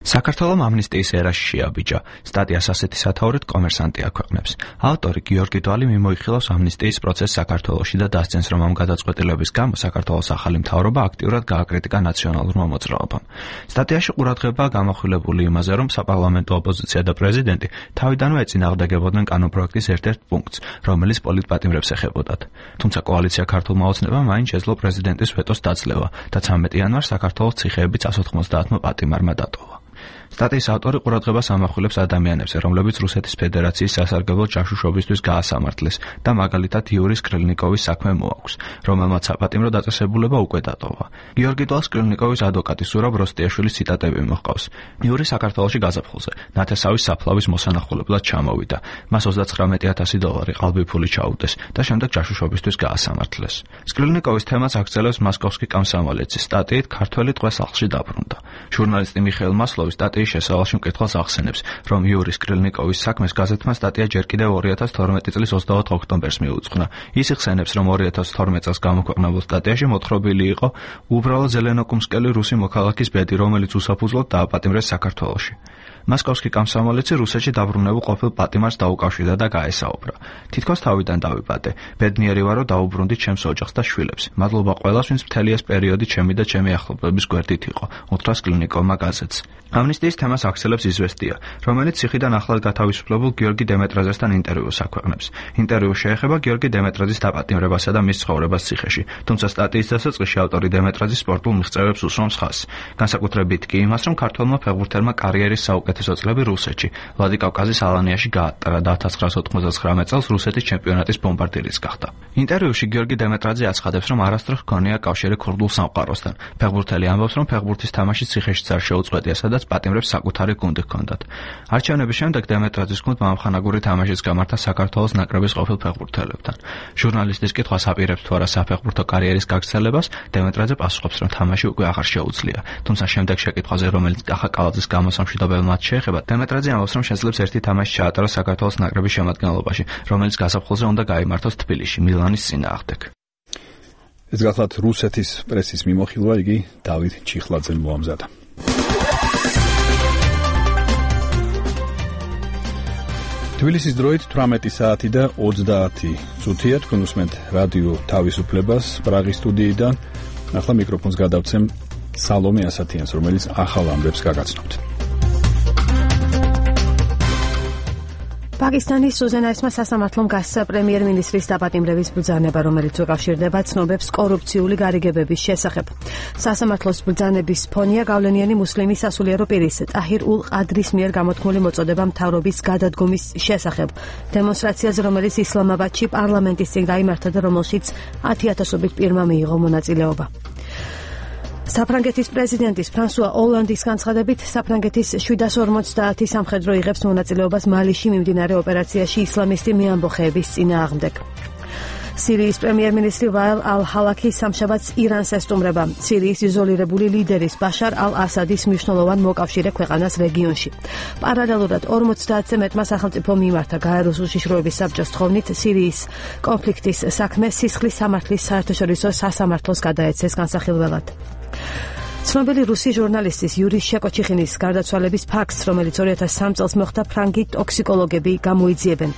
საქართველოს ამნისტიის ერაში შეაბიჯა. სტატიას ასეთი სათაურით კომერსანტი აქვეყნებს. ავტორი გიორგი დვალი მიმოიხილავს ამნისტიის პროცესს საქართველოში და დასცენს, რომ ამ გადაწყვეტილების გამო საქართველოს ახალი მთავრობა აქტიურად გააკრიტიკა ნაციონალურმა მოძრაობამ. სტატიაში ყურადღება გამახვილებული იმაზე, რომ საპარლამენტო ოპოზიცია და პრეზიდენტი თავიდანვე ეწინააღმდეგებოდნენ კანონპროექტის ერთ-ერთ პუნქტს, რომელიც პოლიტპატიმრებს ეხებოდათ. თუმცა კოალიცია ქართულმა ოცნებამ მაინც შეძლო პრეზიდენტის ვეტოს დაძლევა და 13 იანვარს საქართველოს ციხეები 190-მა პატიმარმა დატოვა. სტატიის ავტორი ყურადღებას ამახვილებს ადამიანებზე, რომლებიც რუსეთის ფედერაციის სასარგებლო ჯაშუშობისთვის გაასამართლეს და მაგალითად იური სკრილნიკოვის საქმე მოაქვს, რომელმაც საპატიმრო დაწესებულება უკვე დატოვა. გიორგი დვალს სკრილნიკოვის ადვოკატი სურაბ როსტიაშვილის ციტატები მოჰყავს. იური საქართველოში გაზაფხულზე ნათესავის საფლავის მოსანახულებლად ჩამოვიდა. მას $39,000 ყალბიფული ჩაუდეს და შემდეგ ჯაშუშობისთვის გაასამართლეს. სკრილნიკოვის თემას აგრძელებს მოსკოვსკი კომსომოლეცის სტატიით ქართველი ტყვე სახლში დაბრუნდა. ჟურნალისტი მიხეილ მასლოვის სტატიის შესავალში მკითხველს ახსენებს, რომ იური სკრილნიკოვის საქმეს გაზეთმა სტატია ჯერ კიდევ 2012 წლის 24 ოქტომბერს მიუძღვნა. ის იხსენებს, რომ 2012 წელს გამოქვეყნებულ სტატიაში მოთხრობილი იყო უბრალო ზელენოკუმსკელი რუსი მოქალაქის ბედი, რომელიც უსაფუძვლოდ დააპატიმრეს საქართველოში. მოსკოვსკი კომსომოლეცი რუსეთში დაბრუნებულ ყოფილ პატიმარს დაუკავშირდა და გაესაუბრა. თითქოს თავიდან დავიბადე. ბედნიერი ვარო დაუბრუნდით ჩემს ოჯახს და შვილებს. მადლობა ყველას, ვინც მთელი ეს პერიოდი ჩემი და ჩემი ახლობლების გვერდით იყო. უთხრა სკრილნიკოვმა გაზეთს. ამნისტიის თემას აქსელებს იზვესტია, რომელიც ციხიდან ახლად გათავისუფლებულ გიორგი დემეტრაძესთან ინტერვიუს აქვეყნებს. ინტერვიუ შეეხება გიორგი დემეტრაძის დაპატიმრებასა და მის ცხოვრებას ციხეში, თუმცა სტატიის დასაწყისში ავტორი დემეტრაძის სპორტულ მიღწევებს უსვამს ხაზს. განსაკუთრებით კი იმას, რომ ქართველმა ფეხბურთელმა კარიერის საუკეთესო საუკეთესო წლები რუსეთში. ვლადიკავკაზის ალანიაში გაატარა და 1999 წელს რუსეთის ჩემპიონატის ბომბარდირიც გახდა. ინტერვიუში გიორგი დემეტრაძე აცხადებს, რომ არასდროს ჰქონია კავშირი ქურდულ სამყაროსთან. ფეხბურთელი ამბობს, რომ ფეხბურთის თამაში ციხეშიც არ შეუწყვეტია, სადაც პატიმრებს საკუთარი გუნდი ჰქონდათ. არჩევნების შემდეგ დემეტრაძის გუნდმა ამხანაგური თამაშიც გამართა საქართველოს ნაკრების ყოფილ ფეხბურთელებთან. ჟურნალისტის კითხვას აპირებს თუ არა საფეხბურთო კარიერის გაგრძელებას, დემეტრაძე პასუხობს, რომ თამაში უკვე აღარ შეუძლია. თუმცა შემდეგ შეკითხვაზე, რომელიც კახაკალაძის გამოსამში დაბელმად შეეხება, დემეტრაძე ამბობს, რომ შეძლებს ერთი თამაში ჩაატაროს საქართველოს ნაკრების შემადგენლობაში, რომელიც გაზაფხულზე უნდა გაიმართოს თბილისში, მილანის წინააღმდეგ. ეს გახლავთ რუსეთის პრესის მიმოხილვა, იგი დავით ჩიხლაძემ მოამზადა. თბილისის დროით 18 საათი და 30 წუთია. თქვენ უსმენთ რადიო თავისუფლებას პრაღის სტუდიიდან. ახლა მიკროფონს გადავცემ სალომე ასათიანს, რომელიც ახალ ამბებს გაგაცნობთ. პაკისტანის სუზენაისმა სასამართლომ გასცა პრემიერ-მინისტრის დაპატიმრების ბრძანება, რომელიც უკავშირდება ცნობებს კორუფციული გარიგებების შესახებ. სასამართლოს ბრძანების ფონია გავლენიანი მუსლიმი სასულიერო პირის ტაჰირ ულ ყადრის მიერ გამოთქმული მოწოდება მთავრობის გადადგომის შესახებ. დემონსტრაციაზე, რომელიც ისლამაბადში პარლამენტის წინ გაიმართა და რომელშიც 10,000-ობით პირმა მიიღო მონაწილეობა. საფრანგეთის პრეზიდენტის ფრანსუა ოლანდის განცხადებით, საფრანგეთის 750 სამხედრო იღებს მონაწილეობას მალიში მიმდინარე ოპერაციაში ისლამისტი მეამბოხეების წინააღმდეგ. სირიის პრემიერ-მინისტრი ვაილ ალ-ჰალაქი სამშაბათს ირანს ესტუმრება. სირიის იზოლირებული ლიდერის ბაშარ ალ-ასადის მნიშვნელოვან მოკავშირე ქვეყანას რეგიონში. პარალელურად 50-ზე მეტმა სახელმწიფო მიმართა გაეროს უშიშროების საბჭოს თხოვნით სირიის კონფლიქტის საქმე სისხლის სამართლის საერთაშორისო სასამართლოს გადაეცეს განსახილველად. ცნობილი რუსი ჟურნალისტის იური შეკოჩიხინის გარდაცვალების ფაქტს, რომელიც 2003 წელს მოხდა, ფრანგი ტოქსიკოლოგები გამოიძიებენ.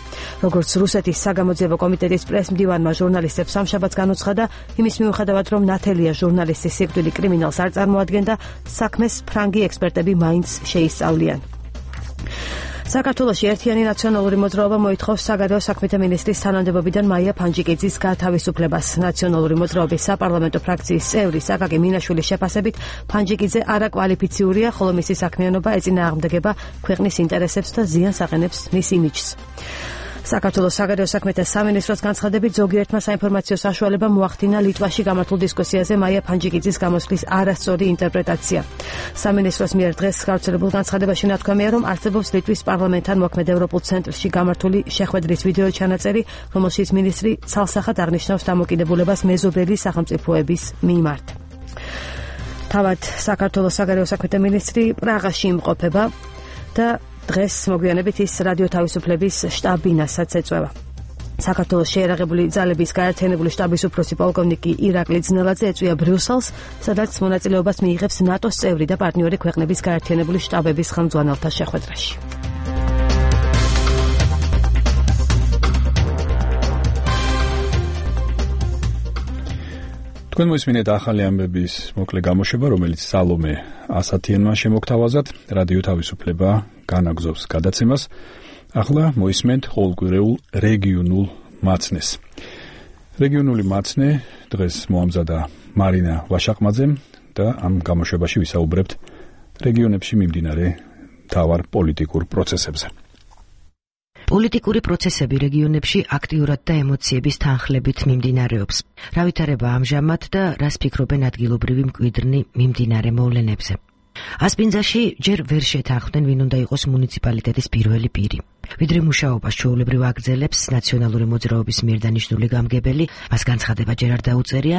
როგორც რუსეთის საგამოძიებო კომიტეტის პრესმდივანმა ჟურნალისტებს სამშაბათს განუცხადა, იმის მიუხედავად, რომ ნათელია ჟურნალისტის სიკვდილი კრიმინალს არ წარმოადგენდა, საქმეს ფრანგი ექსპერტები მაინც შეისწავლიან. საქართველოში ერთიანი ნაციონალური მოძრაობა მოითხოვს საგარეო საქმეთა მინისტრის თანამდებობიდან მაია ფანჯიკიძის გათავისუფლებას. ნაციონალური მოძრაობის საპარლამენტო ფრაქციის წევრი საკაკი მინაშვილის შეფასებით, ფანჯიკიძე არაკვალიფიციურია, ხოლო მისი საქმიანობა ეწინააღმდეგება ქვეყნის ინტერესებს და ზიანს აყენებს მის იმიჯს. საქართველოს საგარეო საქმეთა სამინისტროს განცხადებით, ზოგიერთმა საინფორმაციო საშუალებამ მოახდინა ლიტვაში გამართულ დისკუსიაზე მაია ფანჯიკიძის გამოსვლის არასწორი ინტერპრეტაცია. სამინისტროს მიერ დღეს გავრცელებულ განცხადებაში ნათქვამია, რომ არსებობს ლიტვის პარლამენტთან მოქმედ ევროპულ ცენტრში გამართული შეხვედრის ვიდეო ჩანაწერი, რომელშიც მინისტრი ცალსახად აღნიშნავს დამოკიდებულებას მეზობელი სახელმწიფოების მიმართ. თავად საქართველოს საგარეო საქმეთა მინისტრი პრაღაში იმყოფება და დღეს მოგვიანებით ის რადიო თავისუფლების შტაბ-ბინასაც ეწევა. საქართველოს შეერაღებული ძალების გაერთიანებული შტაბის უფროსი პოლკოვნიკი ირაკლი ძნელაძე ეწვია ბრიუსელს, სადაც მონაწილეობას მიიღებს ნატოს წევრი და პარტნიორი ქვეყნების გაერთიანებული შტაბების ხელმძღვანელთა შეხვედრაში. თქვენ მოისმინეთ ახალი ამბების მოკლე გამოშვება, რომელიც სალომე ასათიანმა შემოგთავაზათ. რადიო თავისუფლება განაგზობს გადაცემას. ახლა მოისმენთ ყოველკვირეულ რეგიონულ მაცნეს. რეგიონული მაცნე დღეს მოამზადა მარინა ვაშაყმაძემ და ამ გამოშვებაში ვისაუბრებთ რეგიონებში მიმდინარე მთავარ პოლიტიკურ პროცესებზე. პოლიტიკური პროცესები რეგიონებში აქტიურად და ემოციების თანხლებით მიმდინარეობს. რა ვითარება ამჟამად და რას ფიქრობენ ადგილობრივი მკვიდრნი მიმდინარე მოვლენებზე? ასპინძაში ჯერ ვერ შეთანხმდნენ, ვინ უნდა იყოს მუნიციპალიტეტის პირველი პირი. ვიდრე მუშაობას ჩვეულებრივ აგრძელებს ნაციონალური მოძრაობის მიერ დანიშნული გამგებელი, მას განცხადება ჯერ არ დაუწერია,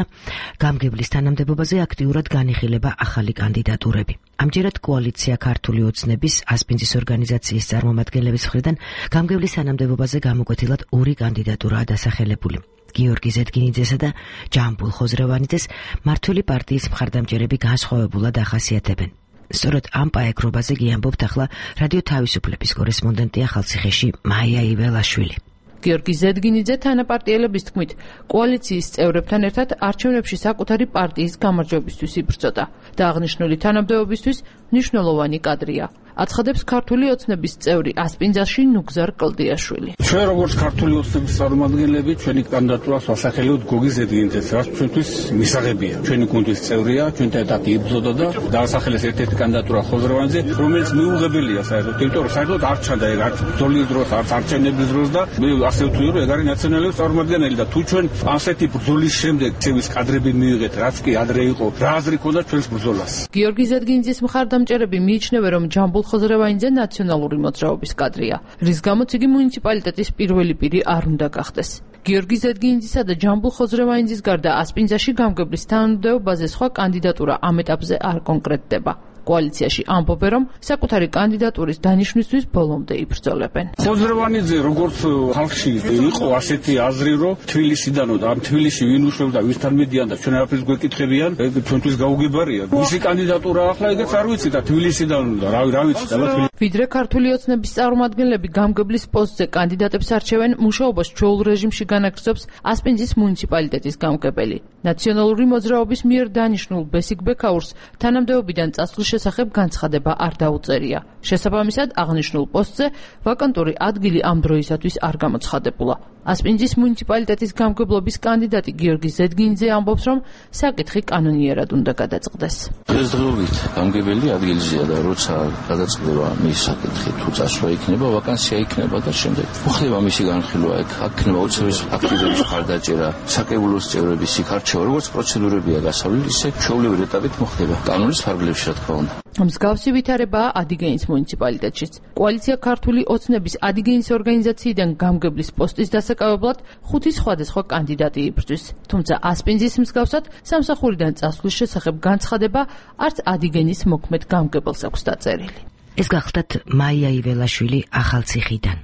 გამგებლის თანამდებობაზე აქტიურად განიხილება ახალი კანდიდატურები. ამჯერად კოალიცია ქართული ოცნების ასპინძის ორგანიზაციის წარმომადგენლების მხრიდან გამგებლის თანამდებობაზე გამოკვეთილად ორი კანდიდატურაა დასახელებული. გიორგი ზედგინიძესა და ჯამბულ ხოზრევანიძეს მმართველი პარტიის მხარდამჭერები განსხვავებულად ახასიათებენ. სწორედ ამ პაეკრობაზე გიამბობთ ახლა რადიო თავისუფლების კორესპონდენტი ახალციხეში მაია იველაშვილი. გიორგი ზედგინიძე თანაპარტიელების თქმით, კოალიციის წევრებთან ერთად არჩევნებში საკუთარი პარტიის გამარჯვებისთვის იბრძოდა და აღნიშნული თანამდებობისთვის მნიშვნელოვანი კადრია. აცხადებს ქართული ოცნების წევრი ასპინძაში ნუგზარ კლდიაშვილი. ჩვენ როგორც ქართული ოცნების წარმომადგენლები ჩვენი კანდიდატურას ვასახელებთ გოგის ზედგინძეს, რაც ჩვენთვის მისაღებია. ჩვენი გუნდის წევრია, ჩვენთან ერთად იბრძოდა და დაასახელეს ერთ-ერთი კანდიდატურა ხოზროვანიძე, რომელიც მიუღებელია საერთოდ, იმიტომ რომ საერთოდ არ ჩანდა ეგ არც ბრძოლის დროს, არც არჩევნების დროს და მე ასე ვთვლი, რომ ეგ არის ნაციონალების წარმომადგენელი და თუ ჩვენ ასეთი ბრძოლის შემდეგ ცევის კადრები მივიღეთ, რაც კი ადრე იყო, რა აზრი ქონდა ჩვენს ბრძოლას. გიორგი ზედგინძის მხარდამჭერები მიიჩნევენ, რომ ჯამბულ ხოზრევანიძე ნაციონალური მოძრაობის კადრია, რის გამოც იგი მუნიციპალიტეტის პირველი პირი არ უნდა გახდეს. გიორგი ზედგინძისა და ჯამბულ ხოზრევანიძის გარდა ასპინძაში გამგებლის თანამდებობაზე სხვა კანდიდატურა ამ ეტაპზე არ კონკრეტდება. კოალიციაში ამბობენ, რომ საკუთარი კანდიდატურის დანიშვნისთვის ბოლომდე იბრძოლებენ. ხოზრევანიძე როგორც ხალხში იყო ასეთი აზრი, რომ თბილისიდანო და ამ თბილისში ვინ უშვებდა, ვისთან მიდიან და ჩვენ არაფერს გვეკითხებიან, ეგ ჩვენთვის გაუგებარია. მისი კანდიდატურა ახლა ეგეც არ ვიცი და თბილისიდან და რა ვიცი და ვიდრე ქართული ოცნების წარმომადგენლები გამგებლის პოსტზე კანდიდატებს არჩევენ, მუშაობას ჩვეულ რეჟიმში განაგრძობს ასპინძის მუნიციპალიტეტის გამგებელი. ნაციონალური მოძრაობის მიერ დანიშნულ ბესიკ ბექაურს თანამდებობიდან წასვლის შესახებ განცხადება არ დაუწერია. შესაბამისად, აღნიშნულ პოსტზე ვაკანტური ადგილი ამ დროისათვის არ გამოცხადებულა. ასპინძის მუნიციპალიტეტის გამგებლობის კანდიდატი გიორგი ზედგინძე ამბობს, რომ საკითხი კანონიერად უნდა გადაწყდეს. დღესდღეობით გამგებელი ადგილზეა და როცა გადაწყდება მის საკითხი, თუ წასვლა იქნება, ვაკანსია იქნება და შემდეგ მოხდება მისი განხილვა, აქ იქნება უცხოების აქტივების მხარდაჭერა, საკრებულოს წევრების იქ არჩევა, როგორც პროცედურებია გასავლელი, ისე ჩვეულებრივ ეტაპით მოხდება. კანონის ფარგლებში, რა თქმა უნდა. მსგავსი ვითარებაა ადიგენის მუნიციპალიტეტშიც. კოალიცია ქართული ოცნების ადიგენის ორგანიზაციიდან გამგებლის პოსტის დასაკავებლად 5 სხვადასხვა კანდიდატი იბრძვის. თუმცა ასპინძის მსგავსად სამსახურიდან წასვლის შესახებ განცხადება არც ადიგენის მოქმედ გამგებელს აქვს დაწერილი. ეს გახლდათ მაია იველაშვილი ახალციხიდან.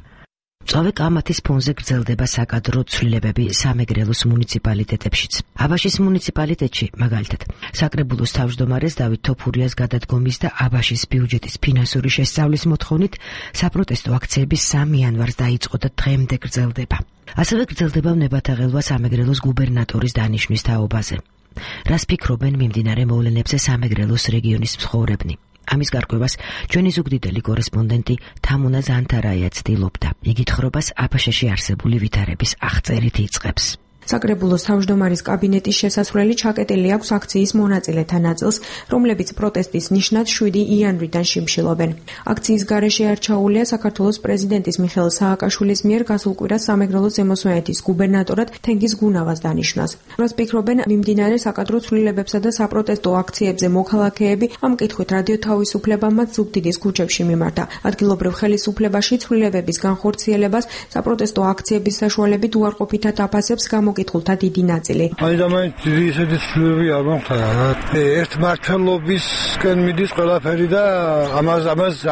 წავე კამათის ფონზე გრძელდება საკადრო ცვლილებები სამეგრელოს მუნიციპალიტეტებშიც. აბაშის მუნიციპალიტეტში, მაგალითად, საკრებულოს თავმჯდომარეს დავით თოფურიას გადადგომის და აბაშის ბიუჯეტის ფინანსური შესწავლის მოთხოვნით საპროტესტო აქციები 3 იანვარს დაიწყო და დღემდე გრძელდება. ასევე გრძელდება ნებათაღელვა სამეგრელოს გუბერნატორის დანიშვნის თაობაზე. რას ფიქრობენ მიმდინარე მოვლენებზე სამეგრელოს რეგიონის მცხოვრებნი? ამის გარკვევას ჩვენი ზუგდიდელი კორესპონდენტი თამუნა ზანთარაია ცდილობდა. იგი თხრობას აბაშაში არსებული ვითარების აღწერით იწყებს. საკრებულოს თავმჯდომარის კაბინეტის შესასვლელი ჩაკეტილი აქვს აქციის მონაწილეთა ნაწილს, რომლებიც პროტესტის ნიშნად 7 იანვრიდან შიმშილობენ. აქციის გარეშე არჩეულია საქართველოს პრეზიდენტის მიხეილ სააკაშვილის მიერ გასულ კვირას სამეგრელოს ზემო სვანეთის გუბერნატორად თენგიზ გუნავას დანიშნას. რას ფიქრობენ მიმდინარე საკადრო ცვლილებებსა და საპროტესტო აქციებზე მოქალაქეები, ამ კითხვით რადიო თავისუფლებამაც ზუგდიდის ქუჩებში მიმართა. ადგილობრივ ხელისუფლებაში ცვლილებების განხორციელებას საპროტესტო აქციების საშუალებით უარყოფითად აფასებს მოკითხულთა დიდი ნაწილი. აი და მაინც ისეთი ცვლილებები არ მომხდარა. ერთმართველობისკენ მიდის ყველაფერი და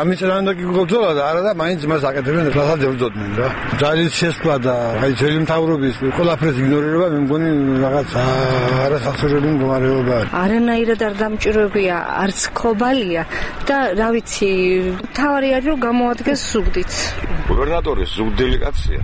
ამის რანდა კი გულწოლა და არა და მაინც მას აკეთებენ რასაც ებრძოდნენ რა. ძალით შესვლა და აი ძველი მთავრობის ყველაფერს იგნორირება მე მგონი რაღაც არასახსრელი მდგომარეობა. არანაირად არ დამჭიროებია, არც ხობალია და რა ვიცი, თავარი არის რომ გამოადგეს ზუგდიდს. გუბერნატორის ზუგდელი კაცია.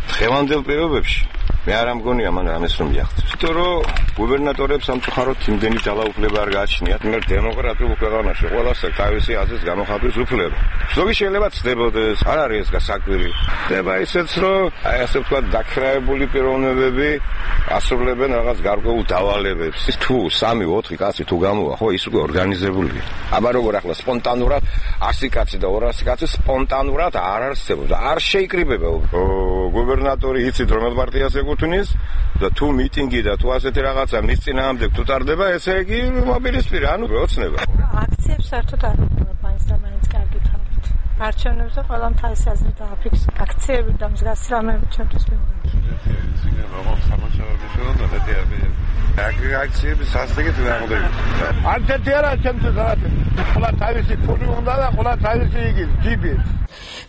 დღევანდელ პირობებში მე არ ამგონია მან რამეს რომ მიაღწევს. იმიტომ რომ გუბერნატორებს სამწუხაროდ იმდენი ძალაუფლება არ გააჩნიათ. მე დემოკრატიულ ქვეყანაში ყველას თავისი აზრის გამოხატვის უფლება. ზოგი შეიძლება ცდებოდეს, არ არის ეს გასაკვირი. ხდება ისეც რომ აი ასე ვთქვათ დაქრაებული პიროვნებები ასრულებენ რაღაც გარკვეულ დავალებებს. თუ 3-4 კაცი თუ გამოვა, ხო ის უკვე ორგანიზებულია. აბა როგორ ახლა სპონტანურად 100 კაცი და 200 კაცი სპონტანურად არ არსებობს. არ შეიკრიბება გუბერნატორი იცით რომელ პარტიას ეკუთვნის და თუ მიტინგი და თუ ასეთი რაღაცა მის წინააღმდეგ თუ ტარდება, ესე იგი მობილიზმი ანუ ოცნება. აქციებს საერთოდ არ უნდა მაინც და მაინც კარგი თავით. არჩევნებზე ყველამ თავის აზრი დააფიქსა. აქციები და მსგავსი რამეები ჩვენთვის მიუღებელია. აქციები სასტიკით ვაღდება. ანთეთი არა ჩემთვის რაღაც. ყველა თავისი ფული უნდა და ყველა თავისი იგი ჯიბი.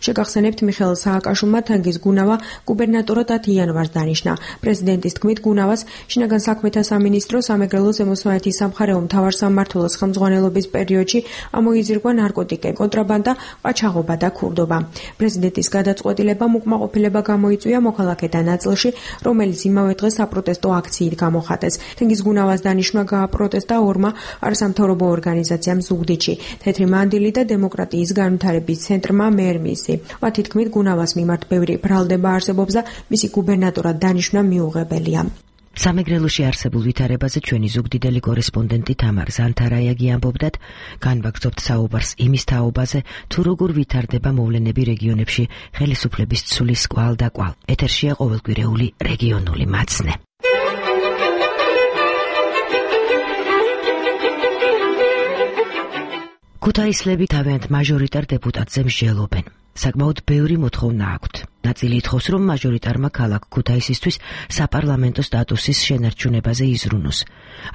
შეგახსენებთ მიხეილ სააკაშვილმა თენგიზ გუნავა გუბერნატორად 10 იანვარს დანიშნა. პრეზიდენტის თქმით გუნავას შინაგან საქმეთა სამინისტრო სამეგრელოს ზემო სვანეთის სამხარეო მთავარსამმართველოს ხელმძღვანელობის პერიოდში ამოიზრგვა ნარკოტიკები, კონტრაბანდა, ყაჩაღობა და ქურდობა. პრეზიდენტის გადაწყვეტილებამ უკმაყოფილება გამოიწვია მოქალაქეთა ნაწილში, რომელიც იმავე დღეს საპროტესტო აქციით გამოხატეს. თენგიზ გუნავას დანიშნა გააპროტესტა ორმა არასამთავრობო ორგანიზაციამ ზუგდიდში. თეთრი მანდილი და დემოკრატიის განვითარების ცენტრმა მერმისი. მათი თქმით, გუნავას მიმართ ბევრი ბრალდება არსებობს და მისი გუბერნატორად დანიშნა მიუღებელია. სამეგრელოში არსებულ ვითარებაზე ჩვენი ზუგდიდელი კორესპონდენტი თამარ ზანთარაიაგი ამბობდათ, განვაგრძობთ საუბარს იმის თაობაზე, თუ როგორ ვითარდება მოვლენები რეგიონებში ხელისუფლების ცვლის კვალ და კვალ. ეთერშია ყოველკვირეული რეგიონული მაცნე. ქუთაისლები თავიანთ მაჟორიტარ დეპუტატზე მსჯელობენ. საკმაოდ ბევრი მოთხოვნა აქვთ. ნაწილი ითხოვს, რომ მაჟორიტარმა ქალაქ ქუთაისისთვის საპარლამენტო სტატუსის შენარჩუნებაზე იზრუნოს.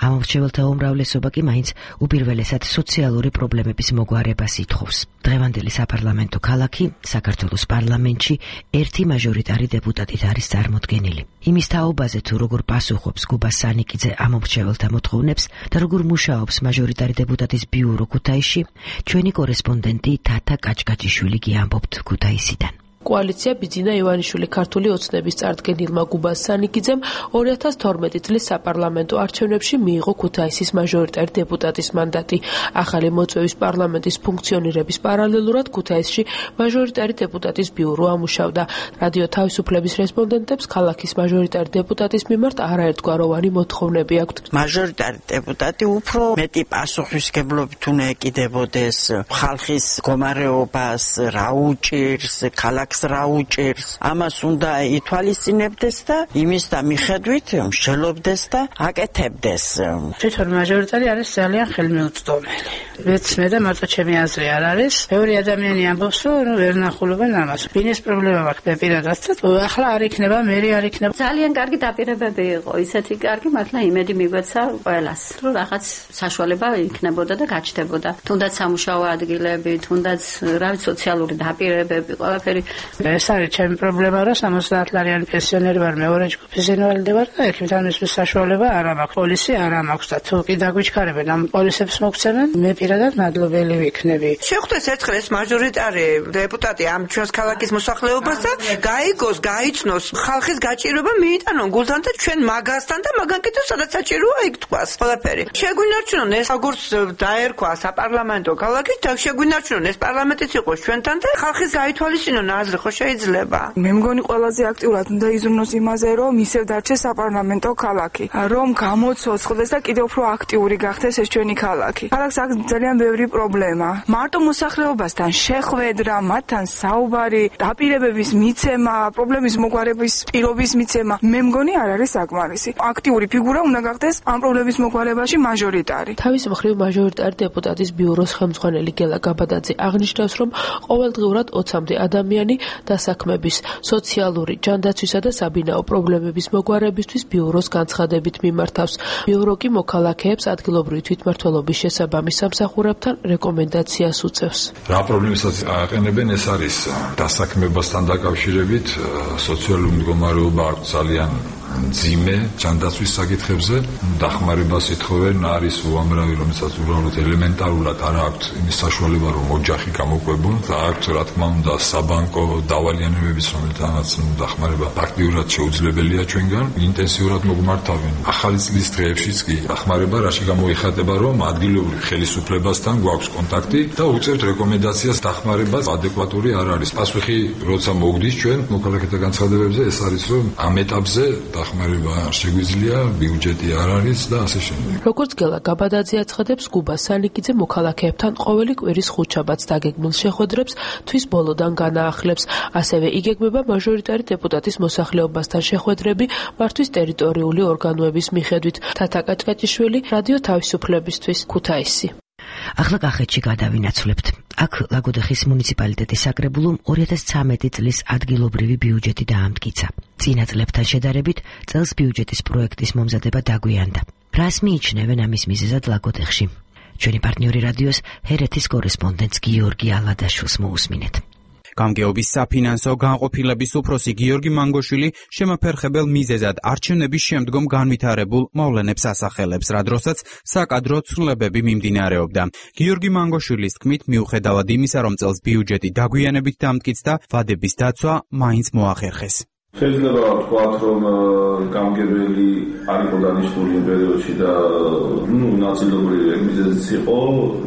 ამომრჩეველთა უმრავლესობა კი მაინც უპირველესად სოციალური პრობლემების მოგვარებას ითხოვს. დღევანდელი საპარლამენტო ქალაქი საქართველოს პარლამენტში ერთი მაჟორიტარი დეპუტატით არის წარმოდგენილი. იმის თაობაზე, თუ როგორ პასუხობს გუბა სანიკიძე ამომრჩეველთა მოთხოვნებს და როგორ მუშაობს მაჟორიტარი დეპუტატის ბიურო ქუთაისში, ჩვენი კორესპონდენტი თათა კაჭკაჭიშვილი კი ამბობთ ქუთაისიდან. კოალიცია ბიძინა ივანიშვილი ქართული ოცნების წარდგენილმა გუბას სანიკიძემ 2012 წლის საპარლამენტო არჩევნებში მიიღო ქუთაისის მაჟორიტარი დეპუტატის მანდატი. ახალი მოწვევის პარლამენტის ფუნქციონირების პარალელურად ქუთაისში მაჟორიტარი დეპუტატის ბიურო ამუშავდა. რადიო თავისუფლების რესპონდენტებს ქალაქის მაჟორიტარი დეპუტატის მიმართ არაერთგვაროვანი მოთხოვნები აქვთ. მაჟორიტარი დეპუტატი უფრო მეტი პასუხისმგებლობით უნდა ეკიდებოდეს ხალხის მდგომარეობას, რა უჭირს, ქალაქს რა უჭირს, ამას უნდა ითვალისწინებდეს და იმის და მიხედვით მსჯელობდეს და აკეთებდეს. თვითონ მაჟორიტარი არის ძალიან ხელმიუწვდომელი. მეცნე და მარტო ჩემი აზრი არ არის. ბევრი ადამიანი ამბობს, რომ ვერ ნახულობენ ამას. ბინის პრობლემა მაქვს პირადად და ახლა არ იქნება, მერი არ იქნება. ძალიან კარგი დაპირებები იყო, ისეთი კარგი, მართლა იმედი მიგვეცა ყველას, რომ რაღაც საშუალება იქნებოდა და გაჩნდებოდა. თუნდაც სამუშაო ადგილები, თუნდაც რავი სოციალური დაპირებები, ყველაფერი. ეს არის ჩემი პრობლემა, რომ 70-ლარიანი პენსიონერი ვარ, მეორე ჯგუფის ინვალიდი ვარ და ექიმთან მისვლის საშუალება არ მაქვს, პოლისი არ მაქვს და თუ კი დაგვიჩქარებენ ამ პოლისებს მოგცემენ, მე პირადად მადლობელი ვიქნები. შეხვდეს ერთხელ ეს მაჟორიტარი დეპუტატი ამ ჩვენს ქალაქის მოსახლეობას და გაიგოს, გაიცნოს ხალხის გაჭირვება მიიტანონ გულთან და ჩვენ მაგასთან და მაგან კიდევ სადაც საჭიროა იქ თქვას ყველაფერი. შეგვინარჩუნონ ეს როგორც დაერქვა საპარლამენტო ქალაქი და შეგვინარჩუნონ ეს პარლამენტიც იყოს ჩვენთან და ხალხის გაითვალისწინონ აზრი ხო შეიძლება. მე მგონი ყველაზე აქტიურად უნდა იზრუნოს იმაზე, რომ ისევ დარჩეს საპარლამენტო ქალაქი, რომ გამოცოცხლდეს და კიდევ უფრო აქტიური გახდეს ეს ჩვენი ქალაქი. ქალაქს აქვს ძალიან ბევრი პრობლემა. მარტო მოსახლეობასთან შეხვედრა, მათთან საუბარი, დაპირებების მიცემა, პრობლემის მოგვარების პირობის მიცემა, მე მგონი არ არის საკმარისი. აქტიური ფიგურა უნდა გახდეს ამ პრობლემის მოგვარებაში მაჟორიტარი. თავის მხრივ მაჟორიტარი დეპუტატის ბიუროს ხელმძღვანელი გელა გაბადაძე აღნიშნავს, რომ ყოველდღიურად 20-მდე ადამიანი დასაქმების, სოციალური, ჯანდაცვისა და საბინაო პრობლემების მოგვარებისთვის ბიუროს განცხადებით მიმართავს. ბიურო კი მოქალაქეებს ადგილობრივი თვითმმართველობის შესაბამის სამსახურებთან რეკომენდაციას უწევს. რა პრობლემასაც აყენებენ, ეს არის დასაქმებასთან დაკავშირებით, სოციალური მდგომარეობა აქვს ძალიან მძიმე ჯანდაცვის საკითხებზე, დახმარებას ითხოვენ, არის უამრავი, რომელსაც უბრალოდ ელემენტარულად არ აქვთ იმის საშუალება, რომ ოჯახი გამოყვებონ და აქვთ, რა თქმა უნდა, საბანკო დავალიანებების, რომელთანაც დახმარება ფაქტიურად შეუძლებელია ჩვენგან, ინტენსიურად მოგმართავენ. ახალი წლის დღეებშიც კი დახმარება რაში გამოიხატება, რომ ადგილობრივ ხელისუფლებასთან გვაქვს კონტაქტი და უწევთ რეკომენდაციას დახმარებას ადეკვატური არ არის. პასუხი როცა მოგდის ჩვენ მოქალაქეთა განცხადებებზე, ეს არის, რომ ამ ეტაპზე დახმარება არ შეგვიძლია, ბიუჯეტი არ არის და ასე შემდეგ. როგორც გელა გაბადაძე აცხადებს, გუბა სანიკიძე მოქალაქეებთან ყოველი კვირის ხუთშაბათს დაგეგმილ შეხვედრებს თვის ბოლოდან განაახლებს. ასევე იგეგმება მაჟორიტარი დეპუტატის მოსახლეობასთან შეხვედრები მართვის ტერიტორიული ორგანოების მიხედვით. თათა კაჭკაჭიშვილი, რადიო თავისუფლებისთვის, ქუთაისი. ახლა კახეთში გადავინაცვლებთ. აქ ლაგოდეხის მუნიციპალიტეტის საკრებულომ 2013 წლის ადგილობრივი ბიუჯეტი დაამტკიცა. წინა წლებთან შედარებით წელს ბიუჯეტის პროექტის მომზადება დაგვიანდა. რას მიიჩნევენ ამის მიზეზად ლაგოდეხში? ჩვენი პარტნიორი რადიოს ჰერეთის კორესპონდენტს გიორგი ალადაშვილს მოусმინეთ. გამგეობის საფინანსო განყოფილების უფროსი გიორგი მანგოშვილი შემაფერხებელ მიზეზად არჩევნების შემდგომ განვითარებულ მოვლენებს ასახელებს, რა დროსაც საკადრო ცვლილებები მიმდინარეობდა. გიორგი მანგოშვილის თქმით, მიუხედავად იმისა, რომ წელს ბიუჯეტი დაგვიანებით დამტკიცდა, ვადების დაცვა მაინც მოახერხეს. შეიძლება ვთქვათ, რომ გამგებელი არ იყო დანიშნული იმ პერიოდში და ნაწილობრივ მიზეზიც იყო,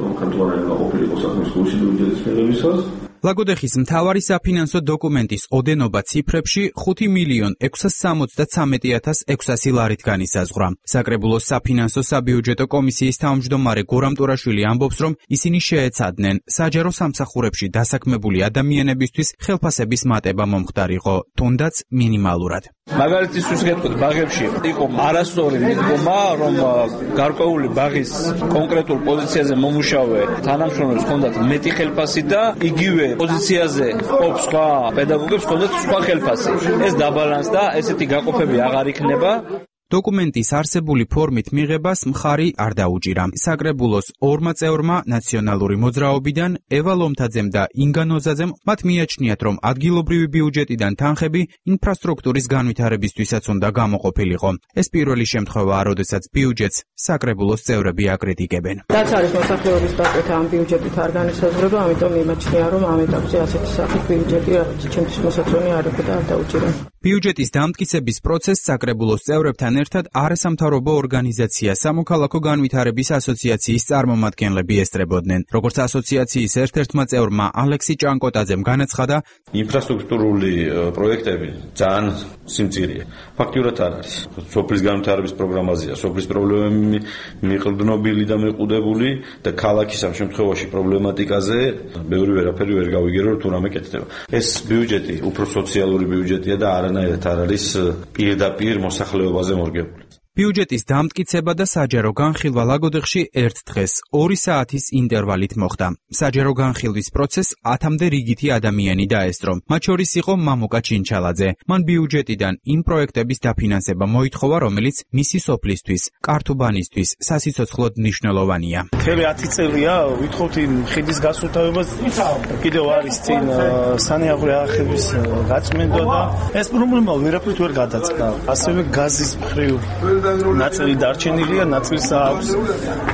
რომ ხელმძღვანელი ყოფილიყო საქმის გულში ბიუჯეტის მიღებისას. ლაგოდეხის მთავარი საფინანსო დოკუმენტის ოდენობა ციფრებში 5,673,600 ლარით განისაზღვრა. საკრებულოს საფინანსო საბიუჯეტო კომისიის თავმჯდომარე გორამ ტურაშვილი ამბობს, რომ ისინი შეეცადნენ საჯარო სამსახურებში დასაქმებული ადამიანებისთვის ხელფასების მატება მომხდარიყო, თუნდაც მინიმალურად. მაგალითისთვის გეტყვით, ბაღებში იყო არასწორი მიდგომა, რომ გარკვეული ბაღის კონკრეტულ პოზიციაზე მომუშავე თანამშრომლებს ჰქონდათ მეტი ხელფასი და იგივე პოზიციაზე ყოფ სხვა პედაგოგებს ჰქონდათ სხვა ხელფასი. ეს დაბალანსდა, ესეთი გაყოფები აღარ იქნება. დოკუმენტის არსებული ფორმით მიღებას მხარი არ დაუჭირა. საკრებულოს ორმა წევრმა ნაციონალური მოძრაობიდან ევა ლომთაძემ და ინგა ნოზაძემ მათ მიაჩნიათ, რომ ადგილობრივი ბიუჯეტიდან თანხები ინფრასტრუქტურის განვითარებისთვისაც უნდა გამოყოფილიყო. ეს პირველი შემთხვევაა, როდესაც ბიუჯეტს საკრებულოს წევრები აკრიტიკებენ. რაც არის მოსახლეობის დაკეთა ამ ბიუჯეტით არ განისაზღვრება, ამიტომ იმაჩნია, რომ ამ ეტაპზე ასეთი სახის ბიუჯეტი ჩემთვის მოსაწონი არ იყო და არ დაუჭირა. ბიუჯეტის დამტკიცების პროცესს საკრებულოს წევრებთან ერთად არასამთავრობო ორგანიზაცია სამოქალაქო განვითარების ასოციაციის წარმომადგენლები ესწრებოდნენ. როგორც ასოციაციის ერთ-ერთმა წევრმა ალექსი ჭანკოტაძემ განაცხადა, ინფრასტრუქტურული პროექტები ძალიან სიმწირეა. ფაქტიურად არ არის. სოფლის განვითარების პროგრამაზეა სოფლის პრობლემები მიყრდნობილი და მიყუდებული და ქალაქის ამ შემთხვევაში პრობლემატიკაზე ბევრი ვერაფერი ვერ გავიგერო, თუ რამე კეთდება. ეს ბიუჯეტი უფრო სოციალური ბიუჯეტია და არანაირად არ არის პირდაპირ მოსახლეობაზე მორგებული. ბიუჯეტის დამტკიცება და საჯარო განხილვა ლაგოდეხში ერთ დღეს 2 საათის ინტერვალით მოხდა. საჯარო განხილვის პროცესს 10-მდე რიგითი ადამიანი დაესწრო. მათ შორის იყო მამუკა ჩინჩალაძე. მან ბიუჯეტიდან იმ პროექტების დაფინანსება მოითხოვა, რომელიც მისი სოფლისთვის, კართუბანისთვის სასიცოცხლოდ მნიშვნელოვანია. მთელი 10 წელია ვითხოვთ იმ ხიდის გასუფთავებას. კიდევ არის წინ სანიაღვრე არხების გაწმენდა და ეს პრობლემა ვერაფრით ვერ გადაწყდა. ასევე გაზის მხრივ ნაწილი დარჩენილია, ნაწილს აქვს.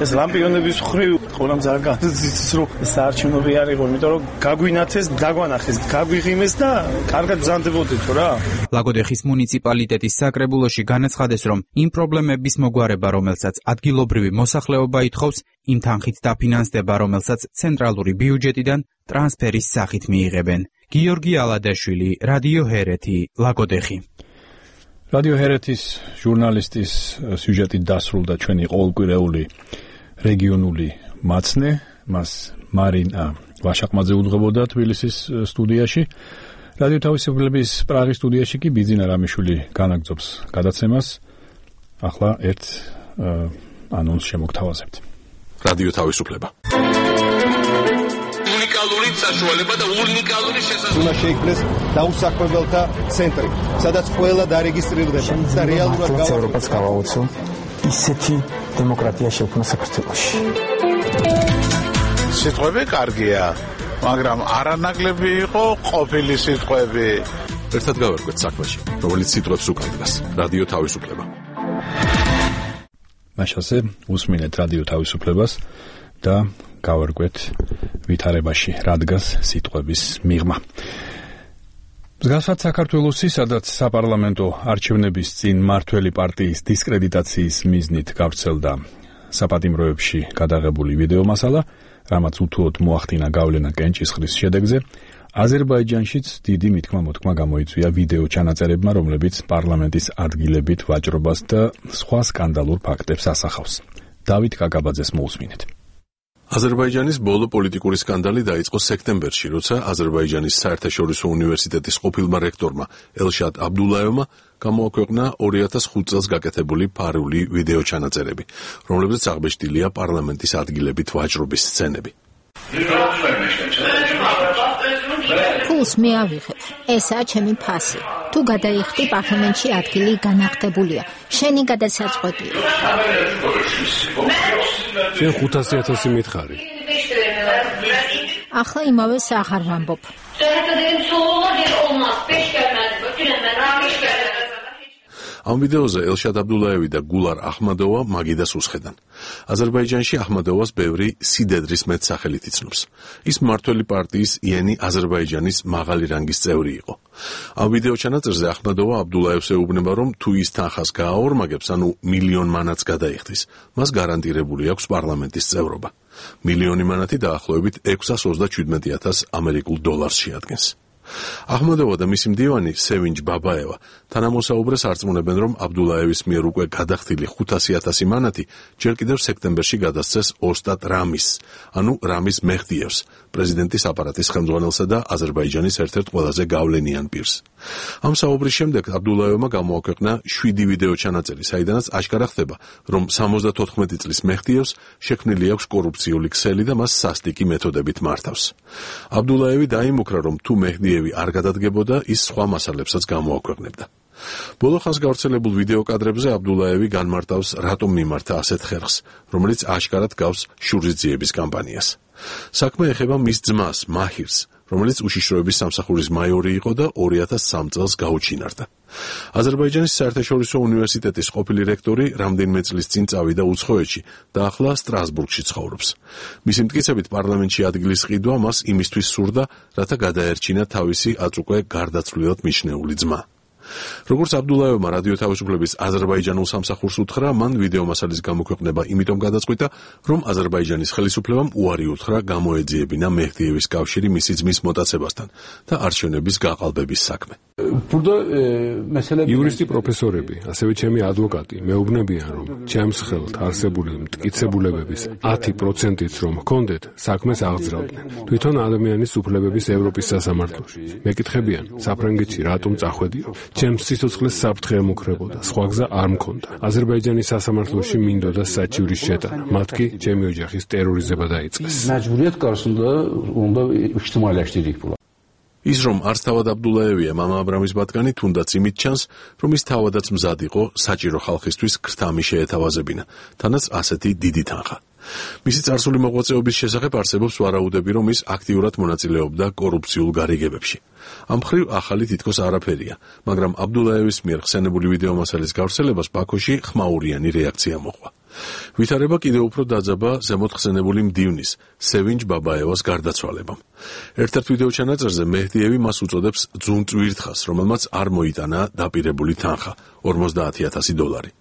ეს ლამპიონების მხრივ ყველამ ძალიან განიცდის, რომ საარჩევნოები არ იყო, იმიტომ რომ გაგვინაცეს, დაგვანახეს, გაგვიღიმეს და კარგად ბრძანდებოდეთ რა. ლაგოდეხის მუნიციპალიტეტის საკრებულოში განაცხადეს, რომ იმ პრობლემების მოგვარება, რომელსაც ადგილობრივი მოსახლეობა ითხოვს, იმ თანხით დაფინანსდება, რომელსაც ცენტრალური ბიუჯეტიდან ტრანსფერის სახით მიიღებენ. გიორგი ალადაშვილი, რადიო ჰერეთი, ლაგოდეხი. რადიო ჰერეთის ჟურნალისტის სიუჟეტით დასრულდა ჩვენი ყოველკვირეული რეგიონული მაცნე, მას მარინა ვაშაყმაძე უძღვებოდა თბილისის სტუდიაში. რადიო თავისუფლების პრაღის სტუდიაში კი ბიძინა რამიშვილი განაგრძობს გადაცემას. ახლა ერთ ანონსს შემოგთავაზებთ. რადიო თავისუფლება. უნიკალური საშუალება და უნიკალური შესაძლებლობა. უნდა შეიქმნეს დაუსაქმებელთა ცენტრი, სადაც ყველა დარეგისტრირდება და რეალურად ევროპას გავაოცო ისეთი დემოკრატია შექმნა საქართველოში. სიტყვები კარგია, მაგრამ არანაკლები იყო ყოფილი სიტყვები. ერთად გავერკვეთ საქმეში, რომელიც სიტყვებს უკანდრას. რადიო თავისუფლება. მაშასე უსმინეთ რადიო თავისუფლებას და გავერკვეთ ვითარებაში რადგას სიტყვების მიღმა. მსგავსად საქართველოსი, სადაც საპარლამენტო არჩევნების წინ მართველი პარტიის დისკრედიტაციის მიზნით გავრცელდა საპატიმროებში გადაღებული ვიდეო მასალა, რამაც უთუოდ მოახდინა გავლენა კენჭისყრის შედეგზე, აზერბაიჯანშიც დიდი მითქმა-მოთქმა გამოიწვია ვიდეო ჩანაწერებმა, რომლებიც პარლამენტის ადგილებით ვაჭრობას და სხვა სკანდალურ ფაქტებს ასახავს. დავით კაკაბაძეს მოусმინეთ. აზერბაიჯანის ბოლო პოლიტიკური სკანდალი დაიწყო სექტემბერში, როცა აზერბაიჯანის საერთაშორისო უნივერსიტეტის ყოფილმა რექტორმა ელშად აბდულაევმა გამოაქვეყნა 2005 წელს გაკეთებული ფარული ვიდეო ჩანაწერები, რომლებზეც აღბეჭდილია პარლამენტის ადგილებით ვაჭრობის სცენები. ფულს მე ავიღებ. ესაა ჩემი ფასი. თუ გადაიხდი პარლამენტში ადგილი განახტებულია. შენი გადასაწყვეტია. შენ 500,000 მითხარი. ახლა იმავეს აღარ ვამბობ. ამ ვიდეოზე ელშად აბდულაევი და გულარ ახმადოვა მაგიდას უსხედან. აზერბაიჯანში ახმადოვას ბევრი სიდედრის მეტსახელით იცნობს. ის მმართველი პარტიის იენი აზერბაიჯანის მაღალი რანგის წევრი იყო. ამ ვიდეო ჩანაწერზე ახმადოვა აბდულაევს ეუბნება, რომ თუ ის თანხას გააორმაგებს, ანუ მილიონ მანატს გადაიხდის, მას გარანტირებული აქვს პარლამენტის წევრობა. მილიონი მანატი დაახლოებით 627,000 ამერიკულ დოლარს შეადგენს. ახმადოვა და მისი მდივანი სევინჯ ბაბაევა თანამოსაუბრეს არწმუნებენ, რომ აბდულაევის მიერ უკვე გადახდილი 500,000 მანატი ჯერ კიდევ სექტემბერში გადასცეს ოსტატ რამის, ანუ რამის მეჰდიევს, პრეზიდენტის აპარატის ხელმძღვანელსა და აზერბაიჯანის ერთ-ერთ ყველაზე გავლენიან პირს. ამ საუბრის შემდეგ აბდულაევმა გამოაქვეყნა 7 ვიდეო ჩანაწერი, საიდანაც აშკარა ხდება, რომ 74 წლის მეჰდიევს შექმნილი აქვს კორუფციული ქსელი და მას სასტიკი მეთოდებით მართავს. აბდულაევი დაიმუქრა, რომ თუ მეჰდიევი არ გადადგებოდა, ის სხვა მასალებსაც გამოაქვეყნებდა. ბოლო ხანს გავრცელებულ ვიდეო კადრებზე აბდულაევი განმარტავს, რატომ მიმართა ასეთ ხერხს, რომელიც აშკარად გავს შურისძიების კამპანიას. საქმე ეხება მის ძმას, მაჰირს, რომელიც უშიშროების სამსახურის მაიორი იყო და 2003 წელს გაუჩინარდა. აზერბაიჯანის საერთაშორისო უნივერსიტეტის ყოფილი რექტორი რამდენიმე წლის წინ წავიდა უცხოეთში და ახლა სტრასბურგში ცხოვრობს. მისი მტკიცებით, პარლამენტში ადგილის ყიდვა მას იმისთვის სურდა, რათა გადაერჩინა თავისი აწ უკვე გარდაცვლილად მიჩნეული ძმა. როგორც აბდულაევმა რადიო თავისუფლების აზერბაიჯანულ სამსახურს უთხრა, მან ვიდეო მასალის გამოქვეყნება იმიტომ გადაწყვიტა, რომ აზერბაიჯანის ხელისუფლებამ უარი უთხრა გამოეძიებინა მეჰდიევის კავშირი მისი ძმის მოტაცებასთან და არჩევნების გაყალბების საქმე. იურისტი პროფესორები, ასევე ჩემი ადვოკატი მეუბნებიან, რომ ჩემს ხელთ არსებული მტკიცებულებების 10%-იც რომ ჰქონდეთ, საქმეს აღძრავდნენ. თვითონ ადამიანის უფლებების ევროპის სასამართლოში. მეკითხებიან, საფრანგეთში რატომ წახვედიო? ჩემს სიცოცხლეს საფრთხე ემუქრებოდა, სხვა გზა არ მქონდა. აზერბაიჯანის სასამართლოში მინდოდა საჩივრის შეტანა, მათ კი ჩემი ოჯახის ტერორიზება დაიწყეს. ის რომ არც თავად აბდულაევია მამა აბრამის ბატკანი, თუნდაც იმით ჩანს, რომ ის თავადაც მზად იყო საჭირო ხალხისთვის ქრთამი შეეთავაზებინა, თანაც ასეთი დიდი თანხა. მისი წარსული მოღვაწეობის შესახებ არსებობს ვარაუდები, რომ ის აქტიურად მონაწილეობდა კორუფციულ გარიგებებში. ამ მხრივ ახალი თითქოს არაფერია, მაგრამ აბდულაევის მიერ ხსენებული ვიდეო მასალის გავრცელებას ბაქოში ხმაურიანი რეაქცია მოყვა. ვითარება კიდევ უფრო დაძაბა ზემოთ ხსენებული მდივნის, სევინჯ ბაბაევას გარდაცვალებამ. ერთ-ერთ ვიდეო ჩანაწერზე მეჰდიევი მას უწოდებს ძუნწვირთხას, რომელმაც არ მოიტანა დაპირებული თანხა, 50,000 დოლარი.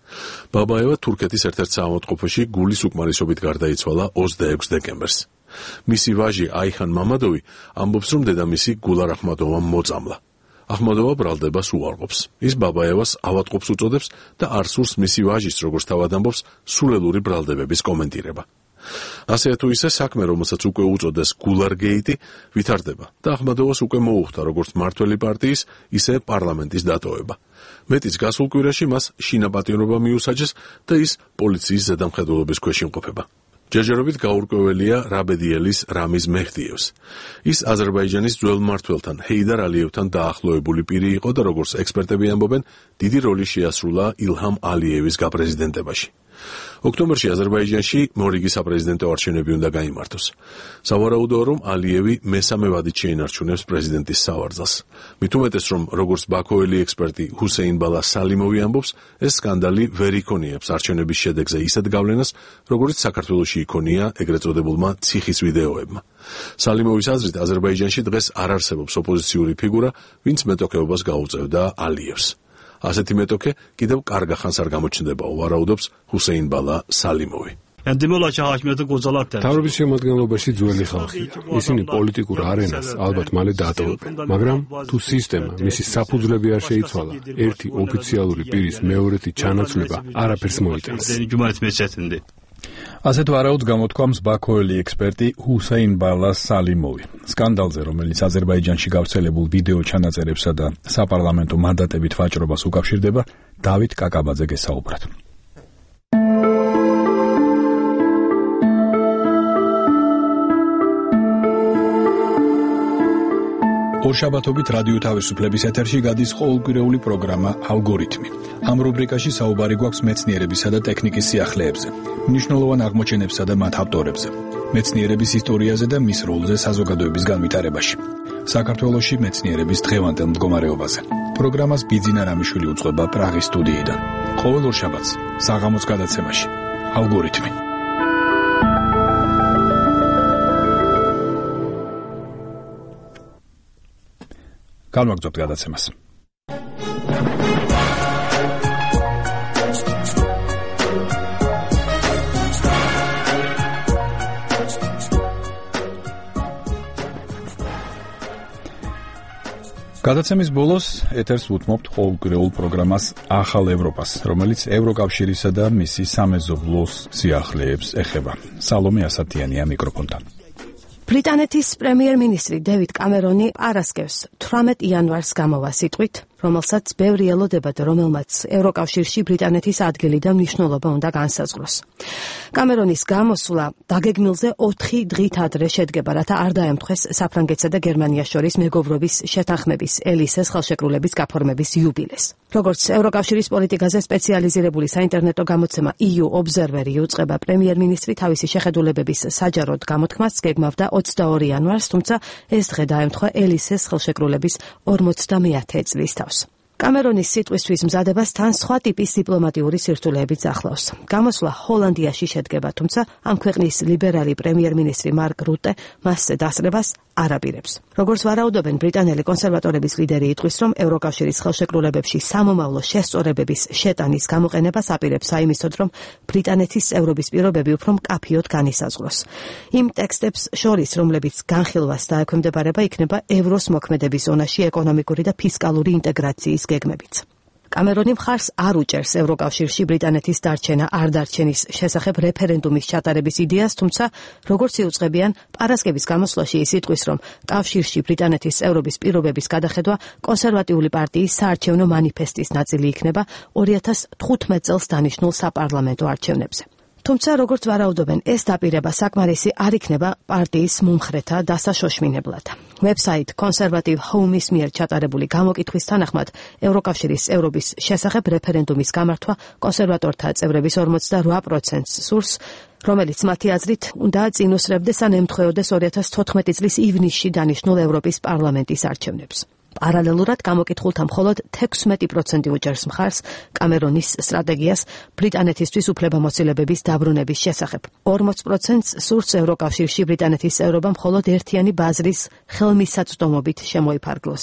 ბაბაევა თურქეთის ერთ-ერთ საავადმყოფოში გულის უკმარისობით გარდაიცვალა 26 დეკემბერს. მისი ვაჟი აიხან მამადოვი ამბობს, რომ დედამისი გულარ ახმადოვამ მოწამლა. ახმადოვა ბრალდებას უარყოფს. ის ბაბაევას ავადმყოფს უწოდებს და არ სურს მისი ვაჟის, როგორც თავად ამბობს, სულელური ბრალდებების კომენტირება. ასე თუ ისე საქმე, რომელსაც უკვე უწოდეს გულარგეიტი, ვითარდება და ახმადოვას უკვე მოუხდა როგორც მმართველი პარტიის, ისე პარლამენტის დატოვება. მეტიც გასულ კვირაში მას შინაპატიმრობა მიუსაჯეს და ის პოლიციის ზედამხედველობის ქვეშ იმყოფება. ჯერჯერობით გაურკვეველია რაბედიელის რამიზ მეჰდიევს. ის აზერბაიჯანის ძველ მმართველთან ჰეიდარ ალიევთან დაახლოებული პირი იყო და როგორც ექსპერტები ამბობენ, დიდი როლი შეასრულა ილჰამ ალიევის გაპრეზიდენტებაში. ოქტომბერში აზერბაიჯანში მორიგი საპრეზიდენტო არჩევნები უნდა გაიმართოს. სავარაუდოა, რომ ალიევი მესამე ვადით შეინარჩუნებს პრეზიდენტის სავარძელს. მით უმეტეს, რომ როგორც ბაქოელი ექსპერტი ჰუსეინ ბალა სალიმოვი ამბობს, ეს სკანდალი ვერ იქონიებს არჩევნების შედეგზე ისეთ გავლენას, როგორც საქართველოში იქონია ეგრეთ წოდებულმა ციხის ვიდეოებმა. სალიმოვის აზრით, აზერბაიჯანში დღეს არ არსებობს ოპოზიციური ფიგურა, ვინც მეტოქეობას გაუწევდა ალიევს. ასეთი მეტოქე კიდევ კარგ ხანს არ გამოჩნდება, ვარაუდობს ჰუსეინ ბალა სალიმოვი. თავრობის შემადგენლობაში ძველი ხალხია. ისინი პოლიტიკურ არენას ალბათ მალე დაატოვებენ, მაგრამ თუ სისტემა მისი საფუძვლები არ შეიცვალა, ერთი ოფიციალური პირის მეორეთი ჩანაცვლება არაფერს მოიტანს. ასეთ ვარაუდს გამოთქვამს ბაქოელი ექსპერტი ჰუსეინ ბალა სალიმოვი. სკანდალზე, რომელიც აზერბაიჯანში გავრცელებულ ვიდეო ჩანაწერებსა და საპარლამენტო მანდატებით ვაჭრობას უკავშირდება, დავით კაკაბაძე გესაუბრათ. ორშაბათობით რადიო თავისუფლების ეთერში გადის ყოველკვირეული პროგრამა ალგორითმი. ამ რუბრიკაში საუბარი გვაქვს მეცნიერებისა და ტექნიკის სიახლეებზე, მნიშვნელოვან აღმოჩენებსა და მათ ავტორებზე, მეცნიერების ისტორიაზე და მის როლზე საზოგადოების განვითარებაში. საქართველოში მეცნიერების დღევანდელ მდგომარეობაზე. პროგრამას ბიძინა რამიშვილი უწყება პრაღის სტუდიიდან. ყოველ ორშაბათს საღამოს გადაცემაში ალგორითმი. განვაგრძობთ გადაცემას. გადაცემის ბოლოს ეთერს უთმობთ ყოველკვირეულ პროგრამას ახალ ევროპას, რომელიც ევროკავშირისა და მისი სამეზობლოს სიახლეებს ეხება. სალომე ასათიანია მიკროფონთან. ბრიტანეთის პრემიერ-მინისტრი დევიდ კამერონი პარასკევს 18 იანვარს გამოვა სიტყვით, რომელსაც ბევრი ელოდებოდა, რომელმაც ევროკავშირში ბრიტანეთის ადგილი და მნიშვნელობა უნდა განსაზღვროს. კამერონის გამოსვლა დაგეგმილზე 4 დღით ადრე შედგება, რათა არ დაემთხვეს საფრანგეთსა და გერმანიას შორის მეგობრობის შეთანხმების ელისეს ხელშეკრულების გაფორმების იუბილეს. როგორც ევროკავშირის პოლიტიკაზე სპეციალიზირებული საინტერნეტო გამოცემა EU Observer იუწყება, პრემიერ-მინისტრი თავისი შეხედულებების საჯაროდ გამოთქმას გეგმავდა 22 იანვარს, თუმცა ეს დღე დაემთხვა ელისეს ხელშეკრულების 50-ე წლის თავს. კამერონის სიტყვისთვის მზადებას თან სხვა ტიპის დიპლომატიური სირთულეებიც ახლავს. გამოსვლა ჰოლანდიაში შედგება, თუმცა ამ ქვეყნის ლიბერალი პრემიერ-მინისტრი მარკ რუტე მასზე დასწრებას არ აპირებს. როგორც ვარაუდობენ ბრიტანელი კონსერვატორების ლიდერი იტყვის, რომ ევროკავშირის ხელშეკრულებებში სამომავლო შესწორებების შეტანის გამოყენებას აპირებს საიმისოდ, რომ ბრიტანეთის წევრობის პირობები უფრო მკაფიოდ განისაზღვროს. იმ ტექსტებს შორის, რომლებიც განხილვას დაექვემდებარება, იქნება ევროს მოქმედების ზონაში ეკონომიკური და ფისკალური ინტეგრაციის გეგმებიც. კამერონი მხარს არ უჭერს ევროკავშირში ბრიტანეთის დარჩენა არ დარჩენის შესახებ რეფერენდუმის ჩატარების იდეას, თუმცა როგორც იუწყებიან, პარასკევის გამოსვლაში ის იტყვის, რომ კავშირში ბრიტანეთის წევრობის პირობების გადახედვა კონსერვატიული პარტიის საარჩევნო მანიფესტის ნაწილი იქნება 2015 წელს დანიშნულ საპარლამენტო არჩევნებზე. თუმცა როგორც ვარაუდობენ, ეს დაპირება საკმარისი არ იქნება პარტიის მომხრეთა დასაშოშმინებლად. ვებსაიტ Conservative Home-ის მიერ ჩატარებული გამოკითხვის თანახმად, ევროკავშირის წევრობის შესახებ რეფერენდუმის გამართვა კონსერვატორთა წევრების 48%-ს სურს, რომელიც მათი აზრით უნდა წინუსრებდეს ან ემთხვეოდეს 2014 წლის ივნისში დანიშნულ ევროპის პარლამენტის არჩევნებს. პარალელურად გამოკითხულთა მხოლოდ 16% უჭერს მხარს კამერონის სტრატეგიას ბრიტანეთისთვის უფლებამოსილებების დაბრუნების შესახებ. 40%-ს სურს ევროკავშირში ბრიტანეთის წევრობა მხოლოდ ერთიანი ბაზრის ხელმისაწვდომობით შემოიფარგლოს.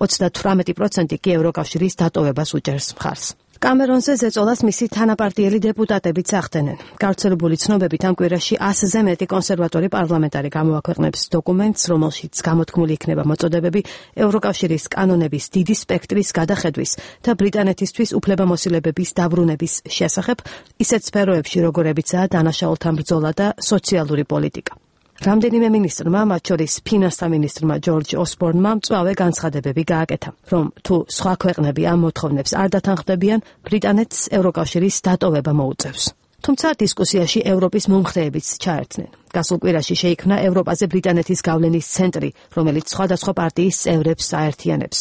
38% კი ევროკავშირის დატოვებას უჭერს მხარს. კამერონზე ზეწოლას მისი თანაპარტიელი დეპუტატებიც ახდენენ. გავრცელებული ცნობებით ამ კვირაში 100-ზე მეტი კონსერვატორი პარლამენტარი გამოაქვეყნებს დოკუმენტს, რომელშიც გამოთქმული იქნება მოწოდებები ევროკავშირის კანონების დიდი სპექტრის გადახედვის და ბრიტანეთისთვის უფლებამოსილებების დაბრუნების შესახებ, ისეთ სფეროებში, როგორებიცაა დანაშაულთან ბრძოლა და სოციალური პოლიტიკა. რამდენიმე მინისტრმა, მათ შორის ფინანსთა მინისტრმა ჯორჯ ოსბორნმა მწვავე განცხადებები გააკეთა, რომ თუ სხვა ქვეყნები ამ მოთხოვნებს არ დათანხმდებიან, ბრიტანეთს ევროკავშირის დატოვება მოუწევს. თუმცა დისკუსიაში ევროპის მომხრეებიც ჩაერთნენ. გასულ კვირაში შეიქმნა ევროპაზე ბრიტანეთის გავლენის ცენტრი, რომელიც სხვადასხვა პარტიის წევრებს აერთიანებს,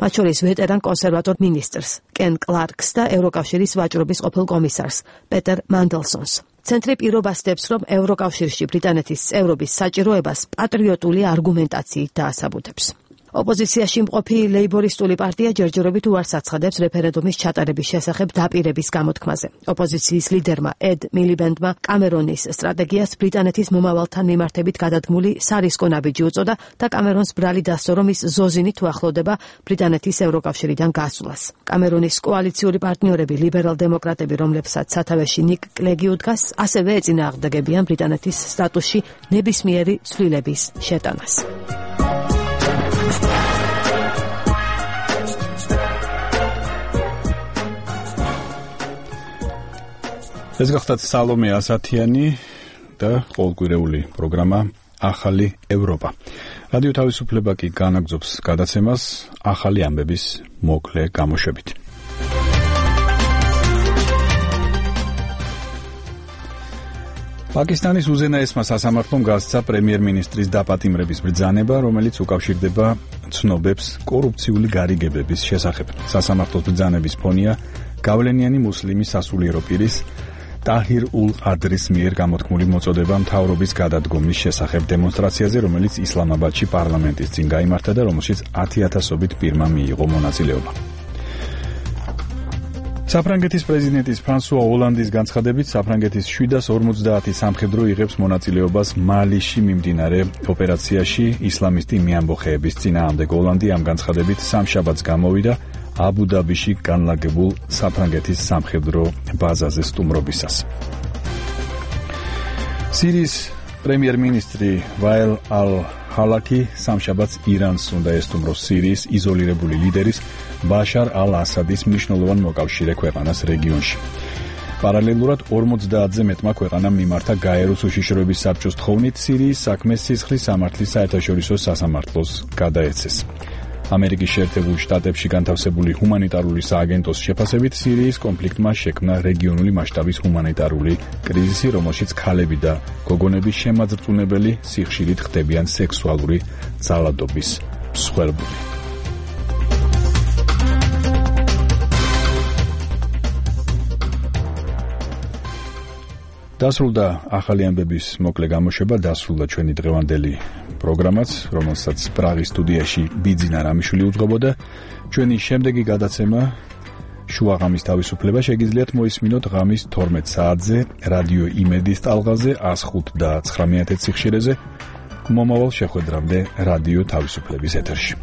მათ შორის ვეტერან კონსერვატორ მინისტრს კენ კლარკს და ევროკავშირის ვაჭრობის ყოფილ კომისარს პეტერ მანდელსონს. ცენტრი პირობასდებს, რომ ევროკავშირში ბრიტანეთის წევრობის საჭიროებას პატრიოტული არგუმენტაციით დაასაბუთებს. ოპოზიციაში მყოფი ლეიბორისტული პარტია ჯერჯერობით უარს აცხადებს რეფერენდუმის ჩატარების შესახებ დაპირების გამოთქმაზე. ოპოზიციის ლიდერმა ედ მილიბენდმა კამერონის სტრატეგიას ბრიტანეთის მომავალთან მიმართებით გადადგმული სარისკო ნაბიჯი უწოდა და კამერონს ბრალი დასწრო, რომ ის ზოზინით უახლოვდება ბრიტანეთის ევროკავშირიდან გასვლას. კამერონის კოალიციური პარტნიორები ლიბერალ-დემოკრატები, რომლებსაც სათავეში ნიკ კლეგი უდგას, ასევე ეწინააღმდეგებიან ბრიტანეთის სტატუსში ნებისმიერი ცვლილების შეტანას. ეს გახდათ სალომე ასათიანი და ყოველკვირეული პროგრამა ახალი ევროპა. რადიო თავისუფლება კი განაგრძობს გადაცემას ახალი ამბების მოკლე გამოშვებით. პაკისტანის უზენაესმა სასამართლომ გასცა პრემიერ-მინისტრის დაპატიმრების ბრძანება, რომელიც უკავშირდება ცნობებს კორუფციული გარიგებების შესახებ. სასამართლოს ბრძანების ფონია გავლენიანი მუსლიმი სასულიერო პირის ტაჰირ ულ-ადრის მიერ გამოთქმული მოწოდება მთავრობის გადადგომის შესახებ დემონსტრაციაზე, რომელიც ისლამაბადში პარლამენტის წინ გაიმართა და რომელშიც 10,000-ობით პირმა მიიღო მონაწილეობა. საფრანგეთის პრეზიდენტის ფრანსუა ოლანდის განცხადებით, საფრანგეთის 750 სამხედრო იღებს მონაწილეობას მალიში მიმდინარე ოპერაციაში ისლამისტი მეამბოხეების წინააღმდეგ. ოლანდი ამ განცხადებით სამშაბათს გამოვიდა აბუ-დაბიში განლაგებულ საფრანგეთის სამხედრო ბაზაზე სტუმრობისას. სირიის პრემიერ-მინისტრი ვაილ ალ-ჰალაკი სამშაბათს ირანს უნდა ესტუმროს სირიის იზოლირებული ლიდერის ბაშარ ალ-ასადის მნიშვნელოვან მოკავშირე ქვეყანას რეგიონში. პარალელურად 50-ზე მეტმა ქვეყანამ მიმართა გაეროს უშიშროების საბჭოს თხოვნით სირიის საქმეს სისხლის სამართლის საერთაშორისო სასამართლოს გადაეცეს. ამერიკის შეერთებულ შტატებში განთავსებული ჰუმანიტარული სააგენტოს შეფასებით სირიის კონფლიქტმა შექმნა რეგიონული მასშტაბის ჰუმანიტარული კრიზისი, რომელშიც ქალები და გოგონები შემაძრწუნებელი სიხშირით ხდებიან სექსუალური ძალადობის მსხვერპლი. დასრულდა ახალი ამბების მოკლე გამოშვება, დასრულდა ჩვენი დღევანდელი პროგრამაც, რომელსაც პრაღის სტუდიაში ბიძინა რამიშვილი უძღვებოდა. ჩვენი შემდეგი გადაცემა შუაღამის თავისუფლება შეგიძლიათ მოისმინოთ ღამის 12 საათზე რადიო იმედის ტალღაზე 105 და 900 სიხშირეზე. მომავალ შეხვედრამდე რადიო თავისუფლების ეთერში.